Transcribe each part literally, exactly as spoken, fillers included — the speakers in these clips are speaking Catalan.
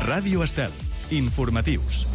Ràdio Estel. Informatius.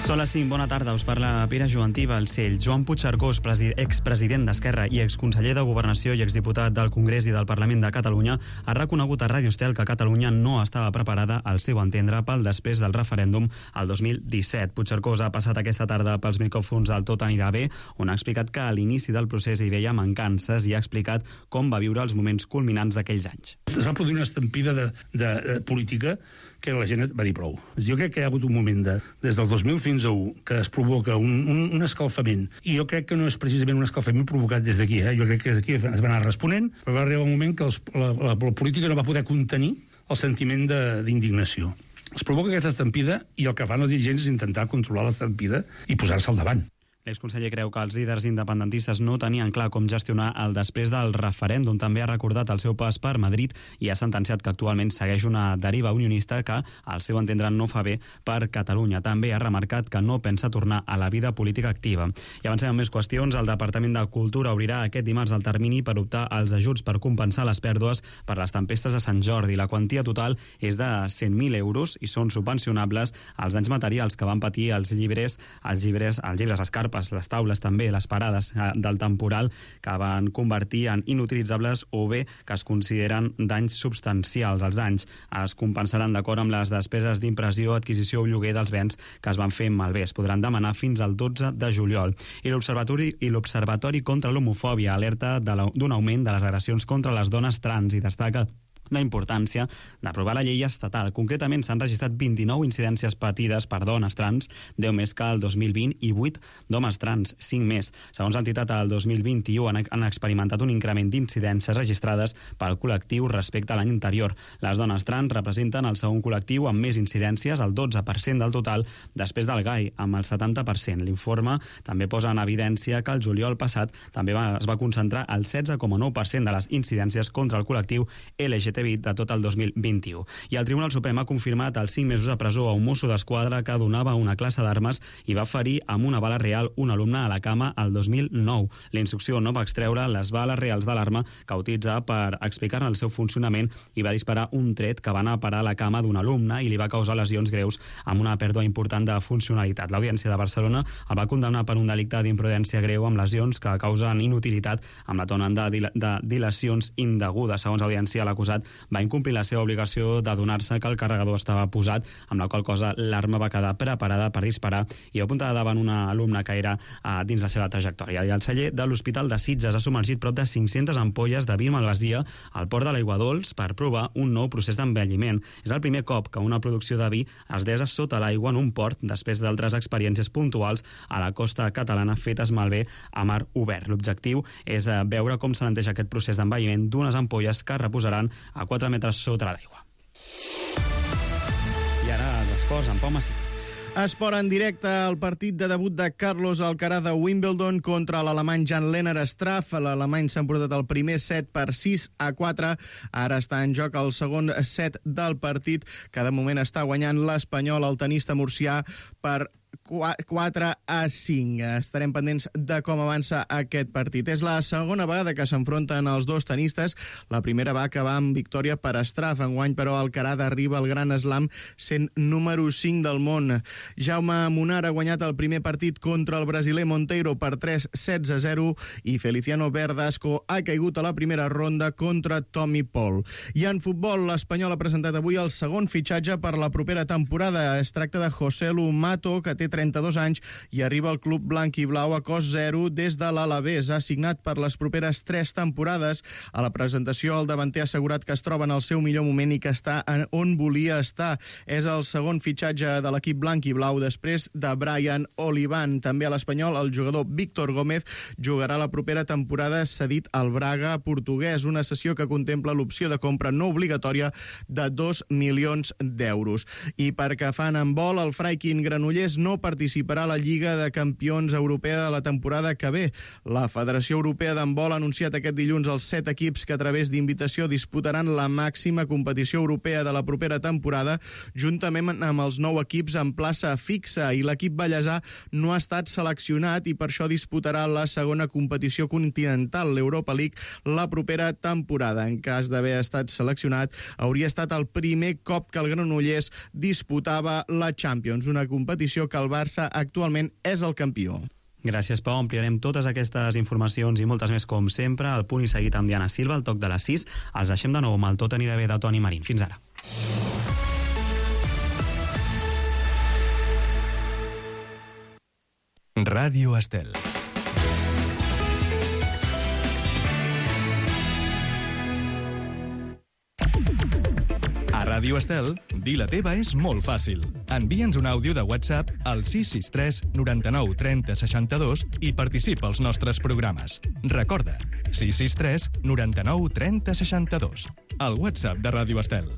Són les cinc, bona tarda, us parla Pere Jovantí Balcell. Joan Puigcercós, expresident d'Esquerra i exconseller de Governació i exdiputat del Congrés i del Parlament de Catalunya, ha reconegut a Ràdio Estel que Catalunya no estava preparada, al seu entendre, pel després del referèndum el dos mil disset. Puigcercós ha passat aquesta tarda pels micròfons del Tot anirà bé, on ha explicat que a l'inici del procés hi veia mancances i ha explicat com va viure els moments culminants d'aquells anys. Es va produir una estampida de, de, de política que la gent va dir prou. Jo crec que hi ha hagut un moment de, des del dos mil fins a un que es provoca un, un, un escalfament, i jo crec que no és precisament un escalfament provocat des d'aquí, eh? Jo crec que des d'aquí es va anar responent, però va arribar un moment que els, la, la, la política no va poder contenir el sentiment d'indignació. Es provoca aquesta estampida i el que fan els dirigents és intentar controlar l'estampida i posar-se al davant. L'exconseller creu que els líders independentistes no tenien clar com gestionar el després del referèndum. També ha recordat el seu pas per Madrid i ha sentenciat que actualment segueix una deriva unionista que, al seu entendre, no fa bé per Catalunya. També ha remarcat que no pensa tornar a la vida política activa. I avancem amb més qüestions. El Departament de Cultura obrirà aquest dimarts el termini per optar als ajuts per compensar les pèrdues per les tempestes de Sant Jordi. La quantia total és de cent mil euros i són subvencionables els danys materials que van patir els llibres, els llibres, els llibres escarpes, les taules també, les parades del temporal que van convertir en inutilitzables o bé que es consideren danys substancials. Els danys es compensaran d'acord amb les despeses d'impressió, adquisició o lloguer dels béns que es van fer malbé. Es podran demanar fins al dotze de juliol. I l'Observatori i l'Observatori contra l'Homofòbia alerta d'un augment de les agressions contra les dones trans i destaca la importància d'aprovar la llei estatal. Concretament, s'han registrat vint-i-nou incidències patides per dones trans, deu més que el dos mil vint i vuit d'homes trans, cinc més. Segons l'entitat, el dos mil vint-i-u han, han experimentat un increment d'incidències registrades pel col·lectiu respecte a l'any anterior. Les dones trans representen el segon col·lectiu amb més incidències, el dotze per cent del total, després del gai, amb el setanta per cent. L'informe també posa en evidència que el juliol passat també va, es va concentrar el setze coma nou per cent de les incidències contra el col·lectiu L G T B de tot el dos mil vint-i-u. I el Tribunal Suprem ha confirmat els cinc mesos de presó a un mosso d'esquadra que donava una classe d'armes i va ferir amb una bala real un alumne a la cama el dos mil nou. La instrucció no va extreure les bales reals de l'arma que utilitzava per explicar-ne el seu funcionament i va disparar un tret que va anar a parar a la cama d'un alumne i li va causar lesions greus amb una pèrdua important de funcionalitat. L'Audiència de Barcelona el va condemnar per un delicte d'imprudència greu amb lesions que causen inutilitat amb la tona de, dil de dilacions indegudes. Segons l'Audiència, l'acusat va incomplir la seva obligació de donar-se que el carregador estava posat, amb la qual cosa l'arma va quedar preparada per disparar i va apuntar davant una alumna que era uh, dins la seva trajectòria. I el celler de l'Hospital de Sitges ha submergit prop de cinc-centes ampolles de vi malvasia al port de l'Aigua Dols per provar un nou procés d'envelliment. És el primer cop que una producció de vi es desa sota l'aigua en un port després d'altres experiències puntuals a la costa catalana fetes malbé a mar obert. L'objectiu és uh, veure com s'alenteix aquest procés d'envelliment d'unes ampolles que reposaran a quatre metres sota l'aigua. I ara els esports amb Pau Massí. Esport en directe, el partit de debut de Carlos Alcaraz de Wimbledon contra l'alemany Jan-Lennard Struff. L'alemany s'ha emportat el primer set per sis a quatre. Ara està en joc el segon set del partit, que de moment està guanyant l'espanyol, el tenista murcià, per quatre a cinc. Estarem pendents de com avança aquest partit. És la segona vegada que s'enfronten els dos tenistes. La primera va acabar amb victòria per Struff. Enguany, però, Alcaraz arriba al Gran Slam sent número cinc del món. Jaume Munar ha guanyat el primer partit contra el brasiler Monteiro per tres sets a zero i Feliciano Verdasco ha caigut a la primera ronda contra Tommy Paul. I en futbol, l'Espanyol ha presentat avui el segon fitxatge per la propera temporada. Es tracta de Joselu Mato, que té trenta-dos anys i arriba al club blanc i blau a cost zero des de l'Alavés. Ha signat per les properes tres temporades. A la presentació, el davanter ha assegurat que es troba en el seu millor moment i que està on volia estar. És el segon fitxatge de l'equip blanc i blau després de Brian Olivan. També a l'Espanyol, el jugador Víctor Gómez jugarà la propera temporada cedit al Braga portuguès, una cessió que contempla l'opció de compra no obligatòria de dos milions d'euros. I perquè fan en vol, el Freikin Granollers no participa participarà a la Lliga de Campions Europea de la temporada que ve. La Federació Europea d'Handbol ha anunciat aquest dilluns els set equips que a través d'invitació disputaran la màxima competició europea de la propera temporada, juntament amb els nou equips en plaça fixa, i l'equip ballesà no ha estat seleccionat i per això disputarà la segona competició continental, l'Europa League, la propera temporada. En cas d'haver estat seleccionat, hauria estat el primer cop que el Granollers disputava la Champions, una competició que el Barça actualment és el campió. Gràcies, Pau. Ampliarem totes aquestes informacions i moltes més, com sempre, al Punt i Seguit amb Diana Silva, al toc de les sis. Els deixem de nou amb el Tot anirà bé de Toni Marín. Fins ara. Ràdio Estel. A Ràdio Estel, dir la teva és molt fàcil. Envia'ns un àudio de WhatsApp al sis sis tres noranta-nou trenta seixanta-dos i participa als nostres programes. Recorda, sis sis tres noranta-nou trenta seixanta-dos. El WhatsApp de Ràdio Estel.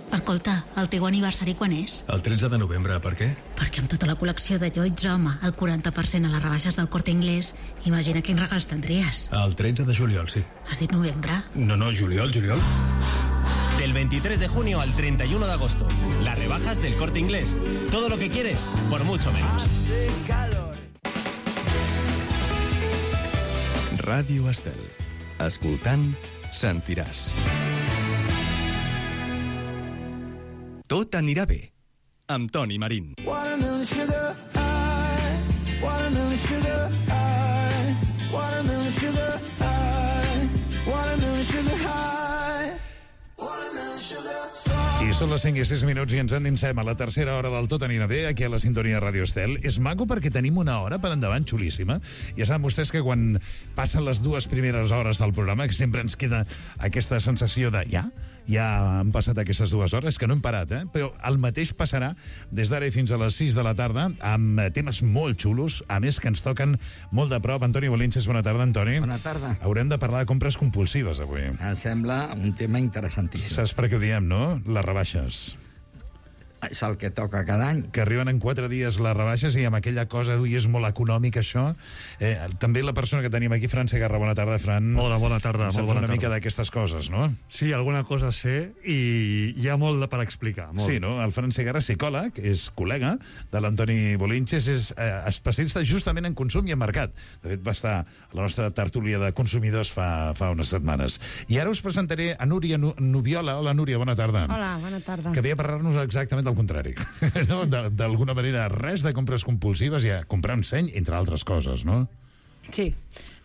Escolta, el teu aniversari quan és? El tretze de novembre, per què? Perquè amb tota la col·lecció de Lloyds Home, el quaranta per cent a les rebaixes del Corte Inglés, imagina quins regals tendries. El tretze de juliol, sí. Has dit novembre? No, no, juliol, juliol. Del veintitrés de junio al treinta y uno de agosto. Las rebajas del Corte Inglés. Todo lo que quieres, por mucho menos. Ràdio Estel. Escoltant, sentiràs. Tot anirà bé, amb Toni Marín. Watermelon sugar high, watermelon sugar high, watermelon sugar high, watermelon sugar high, watermelon sugar soft. I són les cinc i sis minuts i ens endinsem a la tercera hora del Tot anirà bé, aquí a la sintonia Ràdio Estel. És maco perquè tenim una hora per endavant xulíssima. Ja saben vostès que quan passen les dues primeres hores del programa, que sempre ens queda aquesta sensació de ja, ja han passat aquestes dues hores, que no hem parat, eh? Però el mateix passarà des d'ara i fins a les sis de la tarda, amb temes molt xulos, a més que ens toquen molt de prop. Antoni Bolinches, bona tarda, Antoni. Bona tarda. Haurem de parlar de compres compulsives, avui. Em sembla un tema interessantíssim. Saps per què ho diem, no? Les rebaixes. És el que toca cada any. Que arriben en quatre dies les rebaixes i amb aquella cosa d'ui, és molt econòmic, això. Eh, també la persona que tenim aquí, Fran Segarra, bona tarda, Fran. Hola, bona tarda. Saps molt bona una tarda. mica d'aquestes coses, no? Sí, alguna cosa sé i hi ha molt per explicar. Molt. Sí, no? El Fran Segarra, psicòleg, és col·lega de l'Antoni Bolinches, és eh, especialista justament en consum i en mercat. De fet, va estar a la nostra tertúlia de consumidors fa, fa unes setmanes. I ara us presentaré a Núria Nubiola. Hola, Núria, bona tarda. Hola, bona tarda. Que ve a parlar-nos exactament del contrari. No? D'alguna manera, res de compres compulsives, ja comprar un seny, entre altres coses, no? Sí,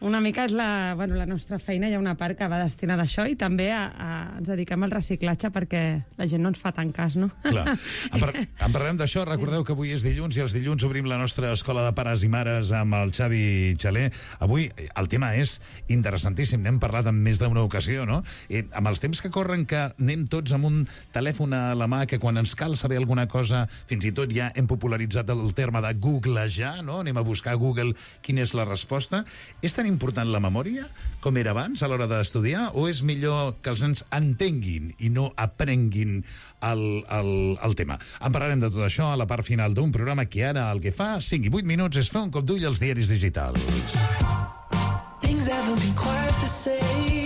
una mica és la, bueno, la nostra feina, hi ha una part que va destinada a això i també a, a, ens dediquem al reciclatge perquè la gent no ens fa tant cas, no? Clar. En, par en parlem d'això. Recordeu que avui és dilluns i els dilluns obrim la nostra escola de pares i mares amb el Xavi Xaler. Avui el tema és interessantíssim, n'hem parlat en més d'una ocasió, no? I amb els temps que corren, que anem tots amb un telèfon a la mà, que quan ens cal saber alguna cosa, fins i tot ja hem popularitzat el terme de googlejar, no? Anem a buscar a Google quina és la resposta. És tan important la memòria com era abans a l'hora d'estudiar, o és millor que els nens entenguin i no aprenguin el, el, el tema? En parlarem de tot això a la part final d'un programa que ara el que fa cinc i vuit minuts és fer un cop d'ull als diaris digitals.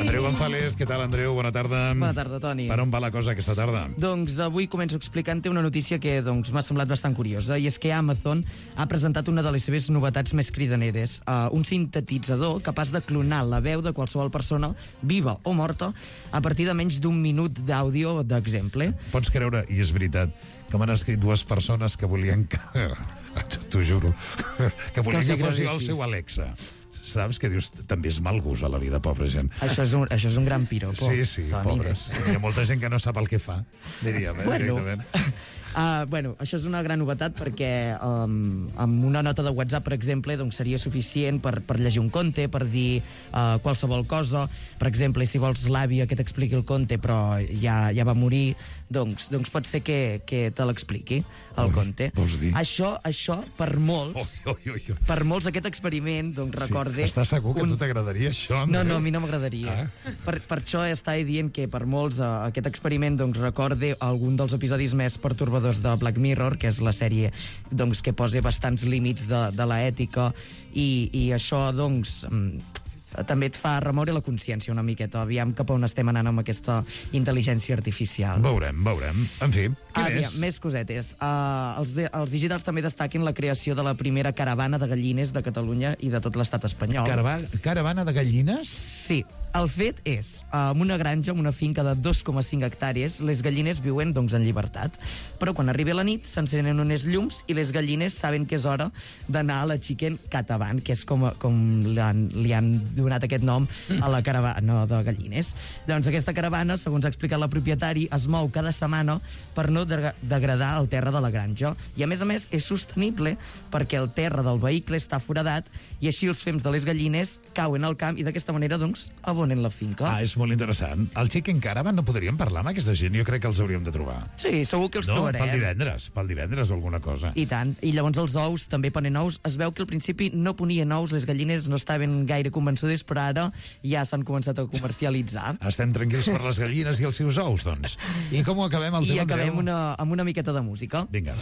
Andreu González, què tal, Andreu? Bona tarda. Bona tarda, Toni. Per on va la cosa aquesta tarda? Doncs avui començo explicant-te una notícia que doncs, m'ha semblat bastant curiosa, i és que Amazon ha presentat una de les seves novetats més cridaneres, uh, un sintetitzador capaç de clonar la veu de qualsevol persona, viva o morta, a partir de menys d'un minut d'àudio d'exemple. Pots creure, i és veritat, que m'han escrit dues persones que volien que... T'ho juro. Que volien que, que fos jo el seu Alexa. Saps? Que dius, també és mal gust a la vida, pobra gent. Això és un, això és un gran piropo. Sí, sí, Toni. Pobres. Hi ha molta gent que no sap el que fa, diríem, eh, bueno, directament. Uh, bueno, això és una gran novetat perquè um, amb una nota de WhatsApp, per exemple, doncs seria suficient per, per llegir un conte, per dir uh, qualsevol cosa. Per exemple, si vols l'àvia que t'expliqui el conte però ja, ja va morir, doncs, doncs pot ser que, que te l'expliqui, el Ui, conte. Vols dir? Això, això per molts, oi, oi, oi. per molts aquest experiment, doncs recorde... Sí. Estàs segur que un... a tu t'agradaria això, Andreu? No, no, a mi no m'agradaria. Ah. Per, per això estava dient que per molts uh, aquest experiment doncs recorde algun dels episodis més pertorbadors creadors de Black Mirror, que és la sèrie doncs, que posa bastants límits de, de l'ètica, i, i això doncs, també et fa remoure la consciència una miqueta. Aviam cap on estem anant amb aquesta intel·ligència artificial. Veurem, veurem. En fi, què Aviam, més? més cosetes. Uh, els, de, els digitals també destaquen la creació de la primera caravana de gallines de Catalunya i de tot l'estat espanyol. Carava caravana de gallines? Sí. El fet és, en una granja, en una finca de dos coma cinc hectàrees, les gallines viuen doncs, en llibertat. Però quan arriba la nit s'encenen unes llums i les gallines saben que és hora d'anar a la Chicken Catavan, que és com, com li, han, li han donat aquest nom a la caravana de gallines. Doncs aquesta caravana, segons ha explicat la propietari, es mou cada setmana per no de degradar el terra de la granja. I a més a més és sostenible perquè el terra del vehicle està foradat i així els fems de les gallines cauen al camp i d'aquesta manera doncs abonen la finca. Ah, és molt interessant. El Chicken Caravan no podríem parlar amb aquesta gent? Jo crec que els hauríem de trobar. Sí, segur que els no? trobarem. Pel divendres, pel divendres o alguna cosa. I tant. I llavors els ous també ponen ous. Es veu que al principi no ponien ous, les gallines no estaven gaire convençudes, però ara ja s'han començat a comercialitzar. Estem tranquils per les gallines i els seus ous, doncs. I com ho acabem, el I tema, acabem Andreu? una, amb una miqueta de música. Vinga.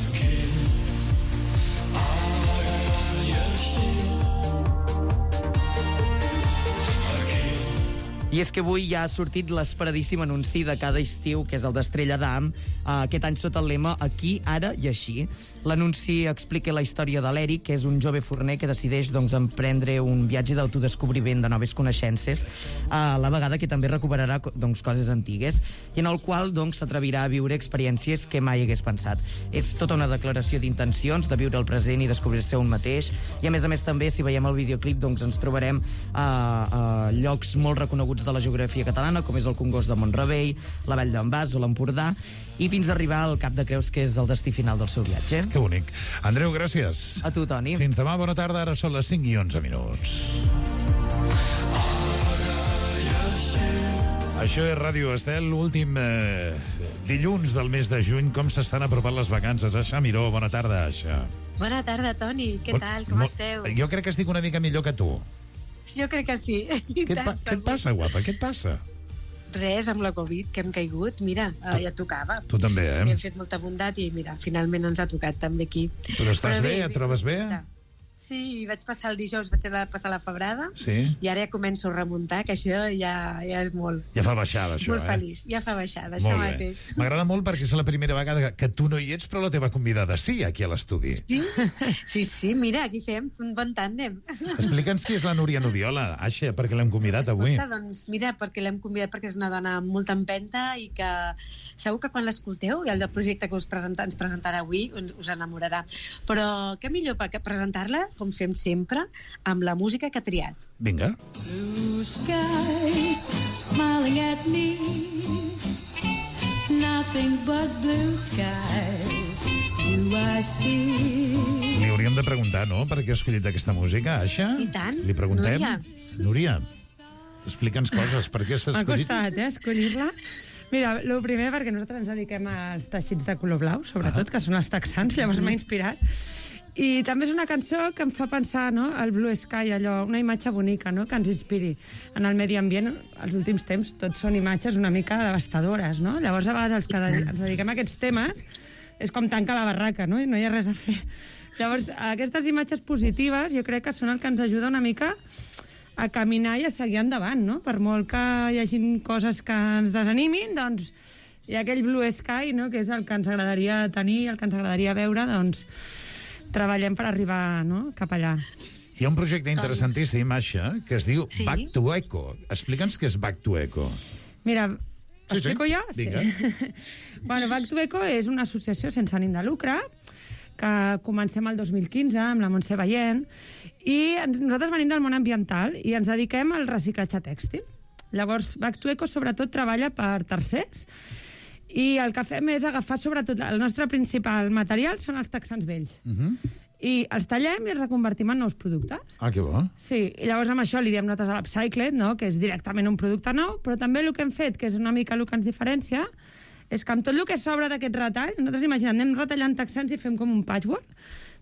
I és que avui ja ha sortit l'esperadíssim anunci de cada estiu, que és el d'Estrella d'Am, uh, aquest any sota el lema Aquí, ara i així. L'anunci explica la història de l'Eric, que és un jove forner que decideix doncs, emprendre un viatge d'autodescobriment de noves coneixences, a la vegada que també recuperarà doncs, coses antigues, i en el qual doncs, s'atrevirà a viure experiències que mai hagués pensat. És tota una declaració d'intencions, de viure el present i descobrir-se un mateix, i a més a més també, si veiem el videoclip, doncs, ens trobarem a, a llocs molt reconeguts de la geografia catalana, com és el Congost de Mont-rebei, la Vall d'en Bas o l'Empordà, i fins a arribar al Cap de Creus, que és el destí final del seu viatge. Que bonic. Andreu, gràcies. A tu, Toni. Fins demà, bona tarda. Ara són les cinc i onze minuts. Això és Ràdio Estel, l'últim eh, dilluns del mes de juny. Com s'estan apropant les vacances? Aixa Miró, bona tarda, Aixa. Bona tarda, Toni. Què tal? Com esteu? Jo crec que estic una mica millor que tu. Jo crec que sí. Què et, pa què et passa, guapa? Què et passa? Res, amb la Covid, que hem caigut, mira, tu, ja tocava. Tu també, eh? Hem fet molta bondat i, mira, finalment ens ha tocat també aquí. Però estàs Però bé, bé? Et trobes bé? Sí, vaig passar el dijous, vaig passar la febrada, sí. I ara ja començo a remuntar, que això ja, ja és molt... Ja fa baixada, això, molt eh? Molt feliç, ja fa baixada, això mateix. M'agrada molt perquè és la primera vegada que tu no hi ets, però la teva convidada sí, aquí a l'estudi. Sí? Sí, sí, mira, aquí fem un bon tàndem. Explica'ns qui és la Núria Nudiola, Aixa, perquè l'hem convidat Escolta, avui. Doncs mira, perquè l'hem convidat perquè és una dona amb molta empenta i que segur que quan l'escolteu i el projecte que us presenta, ens presentarà avui us, us enamorarà. Però què millor que presentar-la, com fem sempre, amb la música que ha triat. Vinga. Blue skies smiling at me, nothing but blue skies, you I see. Li hauríem de preguntar, no?, per què ha escollit aquesta música, Aixa? I tant. Li preguntem? Núria. Núria, explica'ns coses, per què s'ha escollit? M'ha costat, eh, escollir-la. Mira, el primer, perquè nosaltres ens dediquem als teixits de color blau, sobretot, ah. que són els texans, llavors m'ha inspirat. I també és una cançó que em fa pensar, no?, el Blue Sky, allò, una imatge bonica, no?, que ens inspiri en el medi ambient. Els últims temps tots són imatges una mica devastadores, no? Llavors, a vegades, els que ens dediquem a aquests temes és com tancar la barraca, no?, i no hi ha res a fer. Llavors, aquestes imatges positives jo crec que són el que ens ajuda una mica a caminar i a seguir endavant, no? Per molt que hi hagi coses que ens desanimin, doncs hi ha aquell Blue Sky, no?, que és el que ens agradaria tenir, el que ens agradaria veure, doncs treballem per arribar, no?, cap allà. Hi ha un projecte interessantíssim, Aixa, que es diu sí? Back to Eco. Explica'ns què és Back to Eco. Mira, sí, explico sí? jo? Vinga. Sí. Bueno, Back to Eco és una associació sense ànim de lucre que comencem el dos mil quinze amb la Montse Veient, i nosaltres venim del món ambiental i ens dediquem al reciclatge tèxtil. Llavors, Back to Eco sobretot treballa per tercers, i el que fem és agafar sobretot... El nostre principal material són els texans vells. Uh -huh. I els tallem i els reconvertim en nous productes. Ah, que bo. Sí, i llavors amb això li diem notes a l'Upcycled, no?, que és directament un producte nou, però també el que hem fet, que és una mica el que ens diferencia, és que amb tot el que sobra d'aquest retall, nosaltres imaginem, anem retallant texans i fem com un patchwork.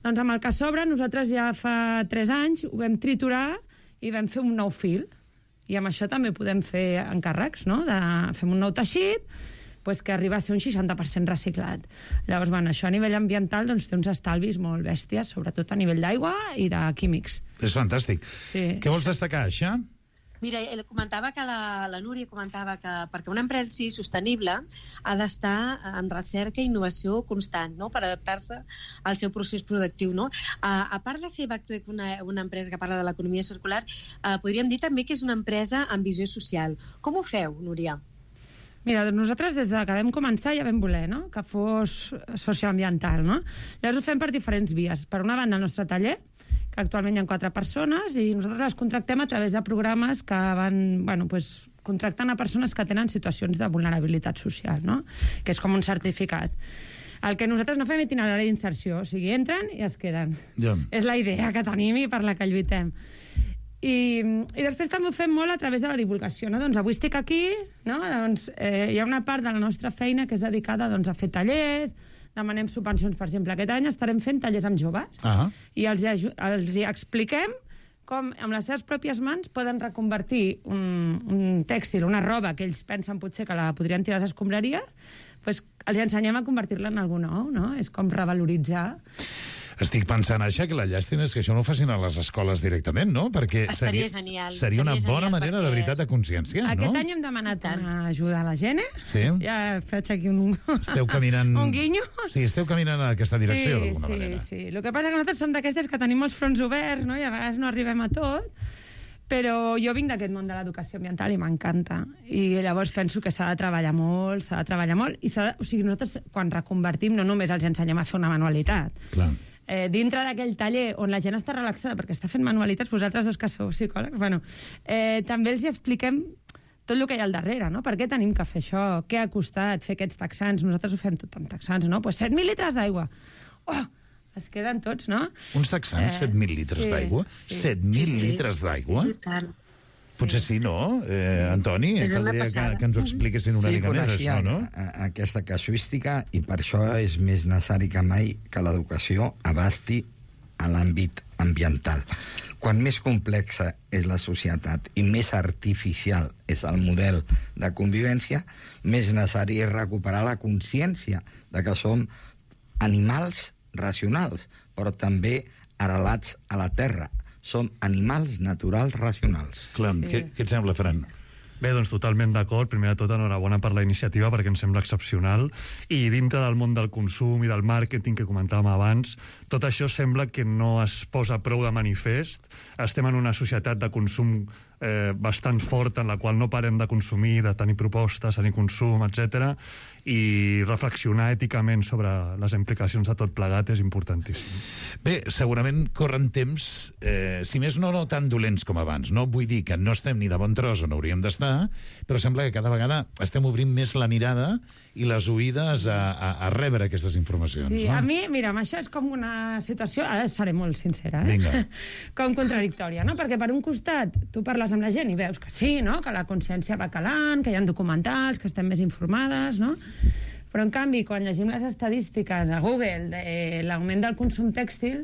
Doncs amb el que sobra, nosaltres ja fa tres anys ho vam triturar i vam fer un nou fil. I amb això també podem fer encàrrecs, no?, de fem un nou teixit, pues, que arriba a ser un seixanta per cent reciclat. Llavors, bueno, això a nivell ambiental doncs, té uns estalvis molt bèsties, sobretot a nivell d'aigua i de químics. És fantàstic. Sí. Què vols destacar, això? Mira, comentava que la, la Núria comentava que perquè una empresa sigui sostenible ha d'estar en recerca i innovació constant, no?, per adaptar-se al seu procés productiu, no? A, a part de ser Bactuec una, una empresa que parla de l'economia circular, eh, podríem dir també que és una empresa amb visió social. Com ho feu, Núria? Mira, nosaltres des de que vam començar ja vam voler, no?, que fos socioambiental, no? Llavors ho fem per diferents vies. Per una banda, el nostre taller, que actualment hi ha quatre persones, i nosaltres les contractem a través de programes que van, bueno, pues, contractant a persones que tenen situacions de vulnerabilitat social, no?, que és com un certificat. El que nosaltres no fem itinerari d'inserció, o sigui, entren i es queden. Ja. És la idea que tenim i per la que lluitem. I, i després també ho fem molt a través de la divulgació, no? Doncs avui estic aquí, no? Doncs eh, hi ha una part de la nostra feina que és dedicada doncs, a fer tallers, demanem subvencions, per exemple. Aquest any estarem fent tallers amb joves ah. i els, els expliquem com amb les seves pròpies mans poden reconvertir un, un tèxtil, una roba que ells pensen potser que la podrien tirar a les escombraries, doncs els ensenyem a convertir-la en alguna nou, no? És com revaloritzar. Estic pensant, això, que la llàstima és que això no ho facin a les escoles directament, no? Perquè Estaria seria, genial. seria una Seria bona genial manera perquè... de veritat de conscienciar, no? Aquest any hem demanat una ajuda a la gent, eh? Sí. Ja faig aquí un... Esteu caminant... un guinyo. Sí, esteu caminant en aquesta direcció, sí, d'alguna sí, manera. Sí, sí. El que passa que nosaltres som d'aquestes que tenim molts fronts oberts, no?, i a vegades no arribem a tot, però jo vinc d'aquest món de l'educació ambiental i m'encanta. I llavors penso que s'ha de treballar molt, s'ha de treballar molt, i s'ha de... o sigui, nosaltres quan reconvertim no només els ensenyem a fer una manualitat. Clar. Eh, dintre d'aquell taller on la gent està relaxada perquè està fent manualitats, vosaltres dos que sou psicòlegs, bueno, eh, també els expliquem tot el que hi ha al darrere, no? Per què tenim que fer això? Què ha costat fer aquests texans? Nosaltres ho fem tot amb texans, no? Pues set mil litres d'aigua. Oh! Es queden tots, no? Uns texans, eh, set mil litres sí, d'aigua? Sí. set mil sí, sí. litres d'aigua? I tant. Potser sí, no? Eh, Antoni, caldria que, que ens ho expliquessin una sí, mica més, això, no? A, a, aquesta casuística, i per això és més necessari que mai que l'educació abasti a l'àmbit ambiental. Quan més complexa és la societat i més artificial és el model de convivència, més necessari és recuperar la consciència de que som animals racionals, però també arrelats a la terra. Som animals naturals racionals. Clar, sí. què, què et sembla, Fran? Bé, doncs totalment d'acord. Primer de tot, enhorabona per la iniciativa, perquè em sembla excepcional. I dintre del món del consum i del màrqueting que comentàvem abans, tot això sembla que no es posa prou de manifest. Estem en una societat de consum eh, bastant forta, en la qual no parem de consumir, de tenir propostes, tenir consum, etcètera, i reflexionar èticament sobre les implicacions de tot plegat és importantíssim. Bé, segurament corren temps, eh, si més no, no tan dolents com abans. No vull dir que no estem ni de bon tros on hauríem d'estar, però sembla que cada vegada estem obrint més la mirada i les oïdes a, a, a rebre aquestes informacions. Sí, no? a mi, mira, això és com una situació, ara seré molt sincera, eh? Vinga. Com contradictòria, no? Perquè per un costat tu parles amb la gent i veus que sí, no?, que la consciència va calant, que hi ha documentals, que estem més informades, no? Però, en canvi, quan llegim les estadístiques a Google de l'augment del consum tèxtil,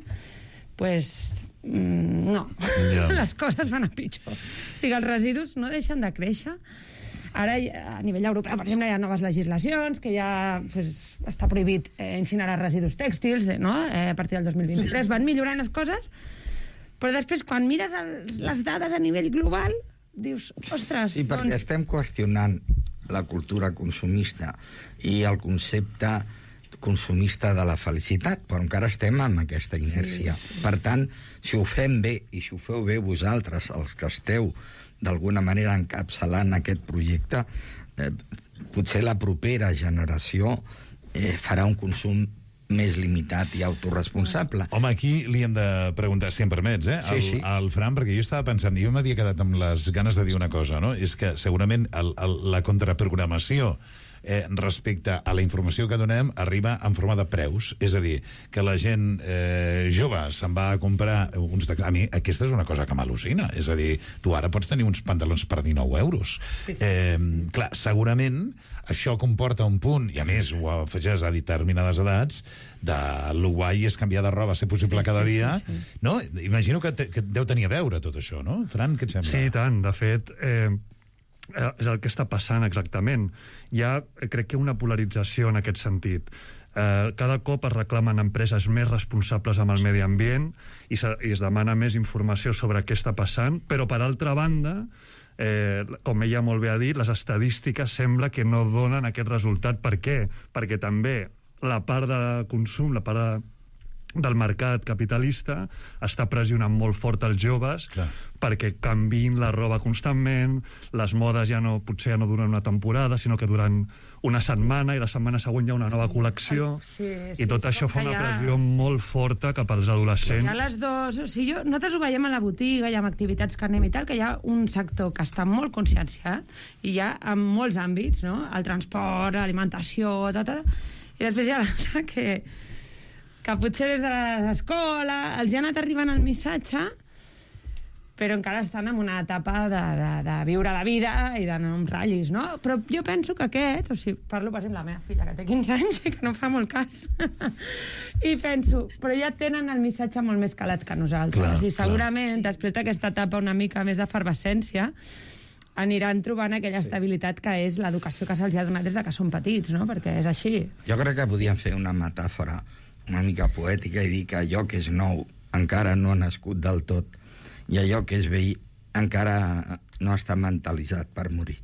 pues, mm, no, Ja. les coses van a pitjor. O sigui, els residus no deixen de créixer. Ara, a nivell europeu, per exemple, hi ha noves legislacions, que ja pues, està prohibit eh, incinerar residus tèxtils, no?, eh, a partir del dos mil vint-i-tres. Van millorant les coses, però després, quan mires el, les dades a nivell global, dius, ostres... Sí, perquè doncs... estem qüestionant la cultura consumista i el concepte consumista de la felicitat, però encara estem amb aquesta inèrcia. Sí, sí. Per tant, si ho fem bé, i si ho feu bé vosaltres, els que esteu d'alguna manera encapçalant aquest projecte, eh, potser la propera generació eh, farà un consum més limitat i autoresponsable. Home, aquí li hem de preguntar, si em permets, eh? Sí, al, sí. al Fran, perquè jo estava pensant, jo m'havia quedat amb les ganes de dir una cosa, no? És que segurament el, el, la contraprogramació eh, respecte a la informació que donem arriba en forma de preus, és a dir, que la gent eh, jove se'n va a comprar uns... De... A mi aquesta és una cosa que m'al·lucina, és a dir, tu ara pots tenir uns pantalons per dinou euros. Sí, sí. Eh, clar, segurament això comporta un punt, i a més ho afegeix a determinades edats, de lo guai és canviar de roba, ser possible, sí, cada sí, dia, sí, sí. no? Imagino que, te, que deu tenir a veure tot això, no? Fran, què et sembla? Sí, tant. De fet, eh, és el que està passant exactament. Hi ha, crec que, una polarització en aquest sentit. Eh, cada cop es reclamen empreses més responsables amb el medi ambient i, se, i es demana més informació sobre què està passant, però, per altra banda, Eh, com ella molt bé ha dit, les estadístiques sembla que no donen aquest resultat. Per què? Perquè també la part de consum, la part de, del mercat capitalista està pressionant molt fort els joves. Clar. Perquè canviïn la roba constantment, les modes ja no, potser ja no duren una temporada, sinó que duren una setmana, i la setmana següent hi ha una nova col·lecció, sí, sí, i tot sí, això fa una ja, pressió sí. molt forta cap als adolescents. Hi ha les dos... O sigui, jo, nosaltres ho veiem a la botiga i amb activitats que anem i tal, que hi ha un sector que està molt conscienciat, i hi ha en molts àmbits, no? El transport, l'alimentació, tot, tot, i després hi ha l'altre que, que potser des de l'escola els ha anat arribant el missatge, però encara estan en una etapa de, de, de viure la vida i d'anar amb ratllis, no? Però jo penso que aquest, o sigui, parlo, per exemple, la meva filla, que té quinze anys i que no fa molt cas, i penso, però ja tenen el missatge molt més calat que nosaltres, clar, i segurament, clar. Després d'aquesta etapa una mica més d'efervescència, aniran trobant aquella estabilitat que és l'educació que se'ls ha donat des de que són petits, no? Perquè és així. Jo crec que podíem fer una metàfora una mica poètica i dir que allò que és nou encara no ha nascut del tot, i allò que és vell encara no està mentalitzat per morir.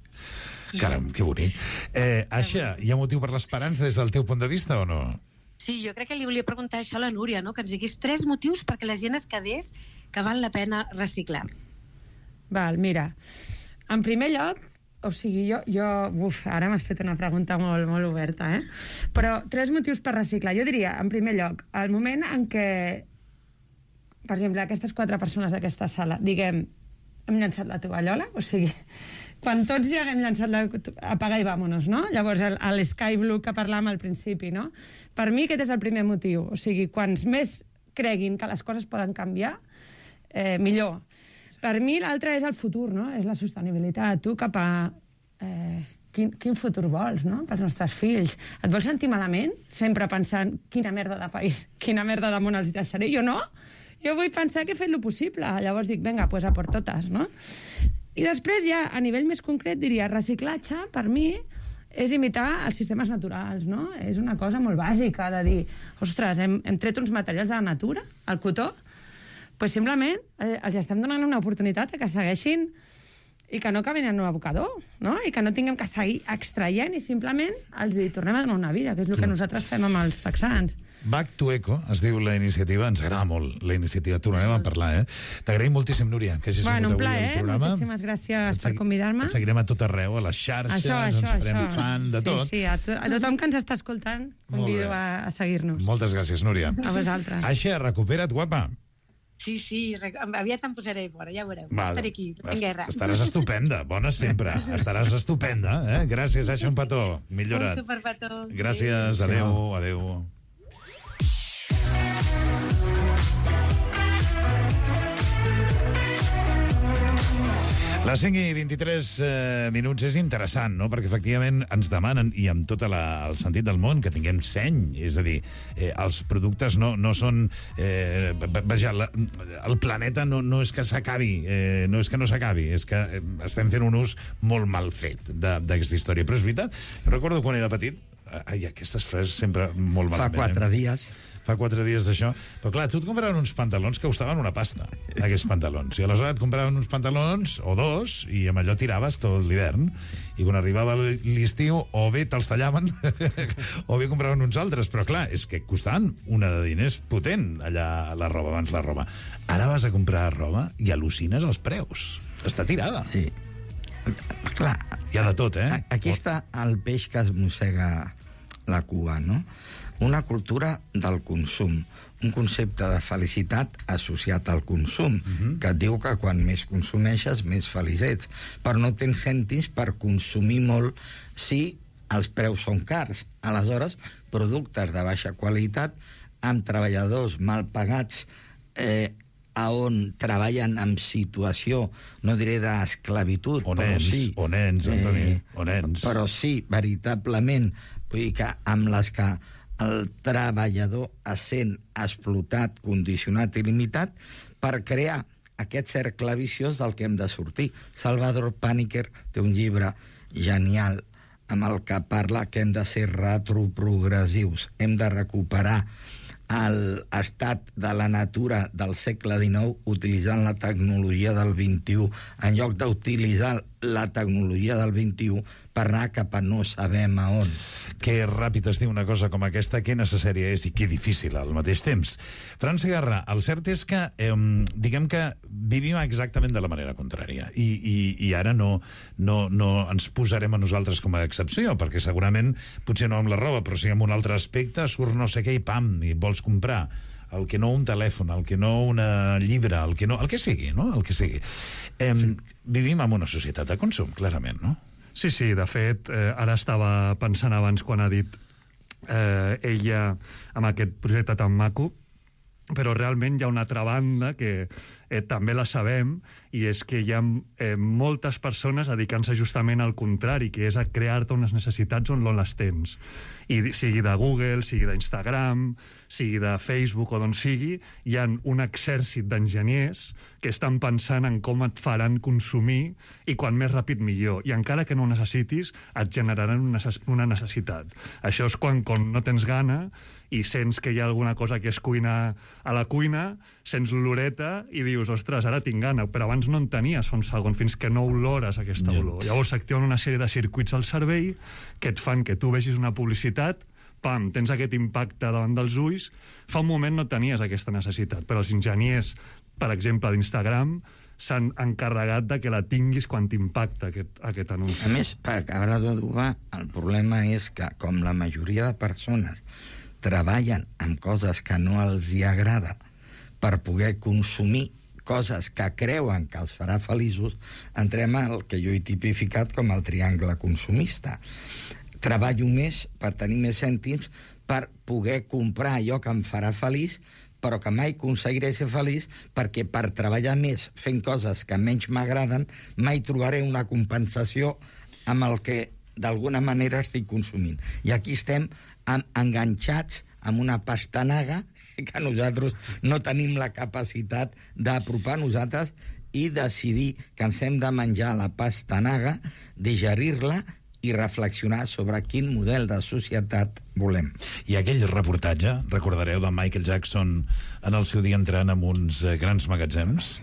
Caram, que bonic. Eh, Aixa, hi ha motiu per l'esperança des del teu punt de vista o no? Sí, jo crec que li volia preguntar això a la Núria, no? Que ens digués tres motius perquè la gent es quedés que val la pena reciclar. Val, mira, en primer lloc, o sigui, jo... jo uf, ara m'has fet una pregunta molt, molt oberta, eh? Però tres motius per reciclar. Jo diria, en primer lloc, el moment en què, per exemple, aquestes quatre persones d'aquesta sala, diguem, hem llançat la tovallola, o sigui, quan tots ja haguem llançat la... apaga i vámonos, no? Llavors, l'Sky Blue que parlàvem al principi, no? Per mi aquest és el primer motiu, o sigui, quants més creguin que les coses poden canviar, eh, millor. Per mi l'altre és el futur, no? És la sostenibilitat. Tu cap a... Eh, quin, quin futur vols, no? Pels nostres fills. Et vols sentir malament? Sempre pensant, quina merda de país, quina merda de món els deixaré. Jo no. Jo vull pensar que he fet el possible. Llavors dic, vinga, pues a por totes, no? I després ja, a nivell més concret, diria, reciclatge, per mi, és imitar els sistemes naturals, no? És una cosa molt bàsica de dir, ostres, hem, hem tret uns materials de la natura, el cotó, pues simplement eh, els estem donant una oportunitat que segueixin i que no acabin en un abocador, no? I que no tinguem que seguir extraient i simplement els hi tornem a donar una vida, que és el que nosaltres fem amb els texans. Back to Eco, es diu la iniciativa, ens agrada molt la iniciativa, tornarem a parlar, eh? T'agraïm moltíssim, Núria, que hagis bueno, sigut avui plaer, al programa. Moltíssimes gràcies per convidar-me. Et seguirem a tot arreu, a les xarxes, això, això, ens farem això. fan de tot. Sí, sí, a, to a tothom que ens està escoltant, convido a, a seguir-nos. Moltes gràcies, Núria. A vosaltres. Aixa, recupera't, guapa. Sí, sí, aviat em posaré fora, ja ho veureu. Va, estaré aquí, en guerra. Estaràs estupenda, bona sempre. Estaràs estupenda, eh? Gràcies, Aixa, un petó. Millora't. Un superpetó. Gràcies, adeu, adeu. Les cinc i vint-i-tres eh, minuts és interessant, no? Perquè efectivament ens demanen, i amb tot la, el sentit del món, que tinguem seny. És a dir, eh, els productes no, no són... Eh, vaja, la, el planeta no, no és que s'acabi, eh, no és que no s'acabi, és que eh, estem fent un ús molt mal fet d'aquesta història. Però és veritat, recordo quan era petit, ai, aquestes frases sempre molt malament. Fa quatre eh? dies... Fa quatre dies d'això. Però clar, tu et compraven uns pantalons que costaven una pasta, aquests pantalons. I aleshores et compraven uns pantalons, o dos, i amb allò tiraves tot l'hivern. I quan arribava l'estiu, o bé te'ls tallaven, o bé compraven uns altres. Però clar, és que costaven una de diners potent, allà la roba, abans la roba. Ara vas a comprar roba i al·lucines els preus. Està tirada. Sí. Clar. Hi ha de tot, eh? Aquí està el peix que es mossega la cua, no? Una cultura del consum, un concepte de felicitat associat al consum, uh-huh. que et diu que quan més consumeixes, més feliç ets. Però no tens cèntims per consumir molt si els preus són cars. Aleshores, productes de baixa qualitat, amb treballadors mal pagats, eh, a on treballen en situació, no diré d'esclavitud, o però nens, sí... O nens, Antoni, eh, o nens. Però sí, veritablement, vull dir que amb les que el treballador es sent explotat, condicionat i limitat per crear aquest cercle viciós del que hem de sortir. Salvador Paniker té un llibre genial amb el que parla que hem de ser retroprogressius, hem de recuperar l'estat de la natura del segle dinou utilitzant la tecnologia del vint-i-u en lloc d'utilitzar la tecnologia del vint-i-u per anar cap a no sabem a on. Que ràpid es diu una cosa com aquesta, que necessària és i que difícil al mateix temps. Fran Segarra, el cert és que eh, diguem que vivim exactament de la manera contrària i, i, i ara no, no, no ens posarem a nosaltres com a excepció, perquè segurament, potser no amb la roba, però sí amb un altre aspecte, surt no sé què i pam, i vols comprar el que no un telèfon, el que no una llibre, el que no, el que sigui, no? El que sigui. Eh, sí. Vivim en una societat de consum, clarament, no? Sí, sí, de fet, eh, ara estava pensant abans quan ha dit eh, ella amb aquest projecte tan maco, però realment hi ha una altra banda que eh, també la sabem, i és que hi ha eh, moltes persones dedicant-se justament al contrari, que és a crear-te unes necessitats on no les tens. I sigui de Google, sigui d'Instagram, sigui de Facebook o d'on sigui, hi ha un exèrcit d'enginyers que estan pensant en com et faran consumir i quan més ràpid millor. I encara que no ho necessitis, et generaran una necessitat. Això és quan, quan no tens gana i sents que hi ha alguna cosa que es cuina a la cuina, sents l'oloreta i dius, ostres, ara tinc gana, però abans no en tenies fa un segon, fins que no olores aquesta yeah. olor. Llavors s'activen una sèrie de circuits al cervell que et fan que tu vegis una publicitat, pam, tens aquest impacte davant dels ulls. Fa un moment no tenies aquesta necessitat, però els enginyers, per exemple, d'Instagram, s'han encarregat de que la tinguis quan t'impacta aquest, aquest anunci. A més, per acabar d'adobar, el problema és que, com la majoria de persones treballen amb coses que no els hi agrada per poder consumir coses que creuen que els farà feliços, entrem al que jo he tipificat com el triangle consumista. Treballo més per tenir més cèntims per poder comprar allò que em farà feliç, però que mai aconseguiré ser feliç perquè per treballar més fent coses que menys m'agraden mai trobaré una compensació amb el que d'alguna manera estic consumint. I aquí estem enganxats amb una pastanaga que nosaltres no tenim la capacitat d'apropar nosaltres i decidir que ens hem de menjar la pastanaga, digerir-la i reflexionar sobre quin model de societat volem. I aquell reportatge, recordareu, de Michael Jackson en el seu dia entrant en uns grans magatzems,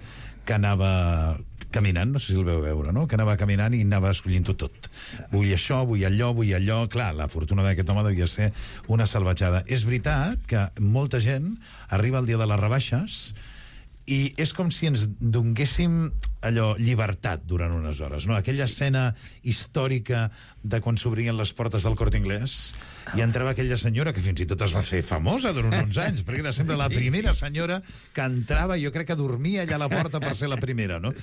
que anava caminant, no sé si el veu veure, no? Que anava caminant i anava escollint-ho tot. Vull això, vull allò, vull allò... Clar, la fortuna d'aquest home devia ser una salvatjada. És veritat que molta gent arriba al dia de les rebaixes i és com si ens donguéssim allò, llibertat durant unes hores, no? Aquella escena històrica de quan s'obrien les portes del Corte Inglés i entrava aquella senyora que fins i tot es va fer famosa durant uns anys, perquè era sempre la primera senyora que entrava, jo crec que dormia allà a la porta per ser la primera, no?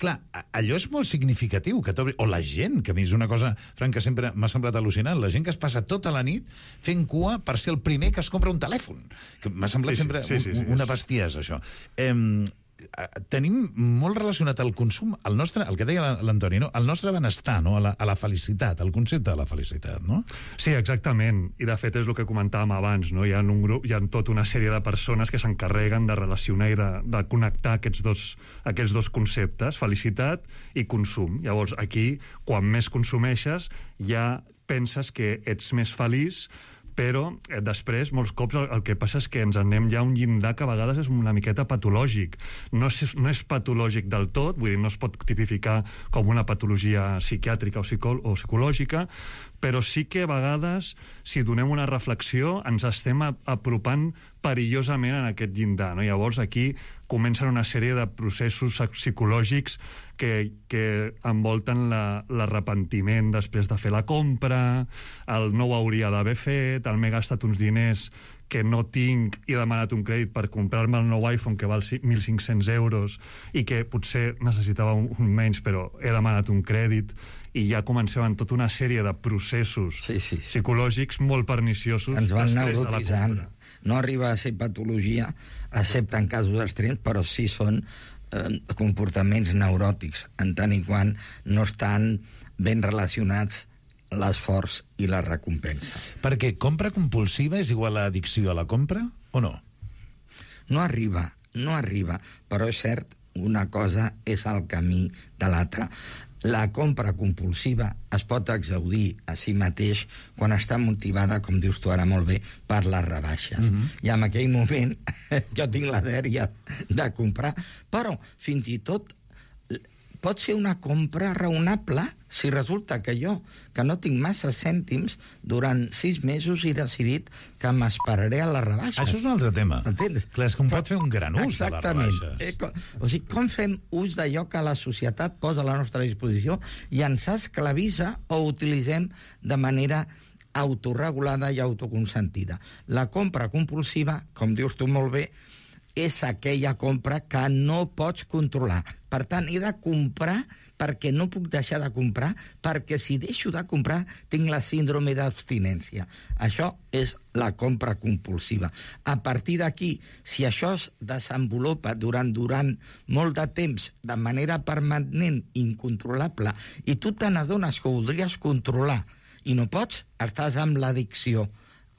Clar, allò és molt significatiu, que o la gent, que a mi és una cosa, Frank, que sempre m'ha semblat al·lucinant, la gent que es passa tota la nit fent cua per ser el primer que es compra un telèfon, que m'ha semblat sí, sempre sí, sí, sí, sí, una bestiesa, això. Eh, tenim molt relacionat el consum, el nostre, el que deia l'Antoni, no? El nostre benestar, no? a, la, a la felicitat, el concepte de la felicitat, no? Sí, exactament, i de fet és el que comentàvem abans, no? Hi ha un grup, hi ha tota una sèrie de persones que s'encarreguen de relacionar i de, de connectar aquests dos, aquests dos conceptes, felicitat i consum. Llavors, aquí, quan més consumeixes, ja penses que ets més feliç, però eh, després, molts cops, el, el que passa és que ens anem ja a un llindar que a vegades és una miqueta patològic. No és, no és patològic del tot, vull dir, no es pot tipificar com una patologia psiquiàtrica o, psicò o psicològica, però sí que a vegades, si donem una reflexió, ens estem apropant perillosament en aquest llindar, no? Llavors, aquí comencen una sèrie de processos psicològics que, que envolten l'arrepentiment després de fer la compra, el no ho hauria d'haver fet, el m'he gastat uns diners que no tinc i he demanat un crèdit per comprar-me el nou iPhone que val mil cinc-cents euros i que potser necessitava un, un menys, però he demanat un crèdit, i ja començaven tota una sèrie de processos sí, sí, sí. psicològics molt perniciosos. Ens van neurotitzant. No arriba a ser patologia, excepte en casos extrems, però sí són eh, comportaments neuròtics, en tant i quant no estan ben relacionats l'esforç i la recompensa. Perquè compra compulsiva és igual a addicció a la compra, o no? No arriba, no arriba, però és cert una cosa és el camí de l'altra. La compra compulsiva es pot exaudir a si mateix quan està motivada, com dius tu ara molt bé, per les rebaixes. Mm-hmm. I en aquell moment jo tinc la dèria de comprar, però fins i tot pot ser una compra raonable si resulta que jo, que no tinc massa cèntims, durant sis mesos he decidit que m'esperaré a les rebaixes. Això és un altre tema. Entens? Clar, és que un pot fer un gran ús de les rebaixes. Eh, com, o sigui, com fem ús d'allò que la societat posa a la nostra disposició i ens esclavissa o utilitzem de manera autorregulada i autoconsentida. La compra compulsiva, com dius tu molt bé, és aquella compra que no pots controlar. Per tant, he de comprar perquè no puc deixar de comprar, perquè si deixo de comprar tinc la síndrome d'abstinència. Això és la compra compulsiva. A partir d'aquí, si això es desenvolupa durant, durant molt de temps, de manera permanent, incontrolable, i tu te n'adones que ho voldries controlar i no pots, estàs amb l'addicció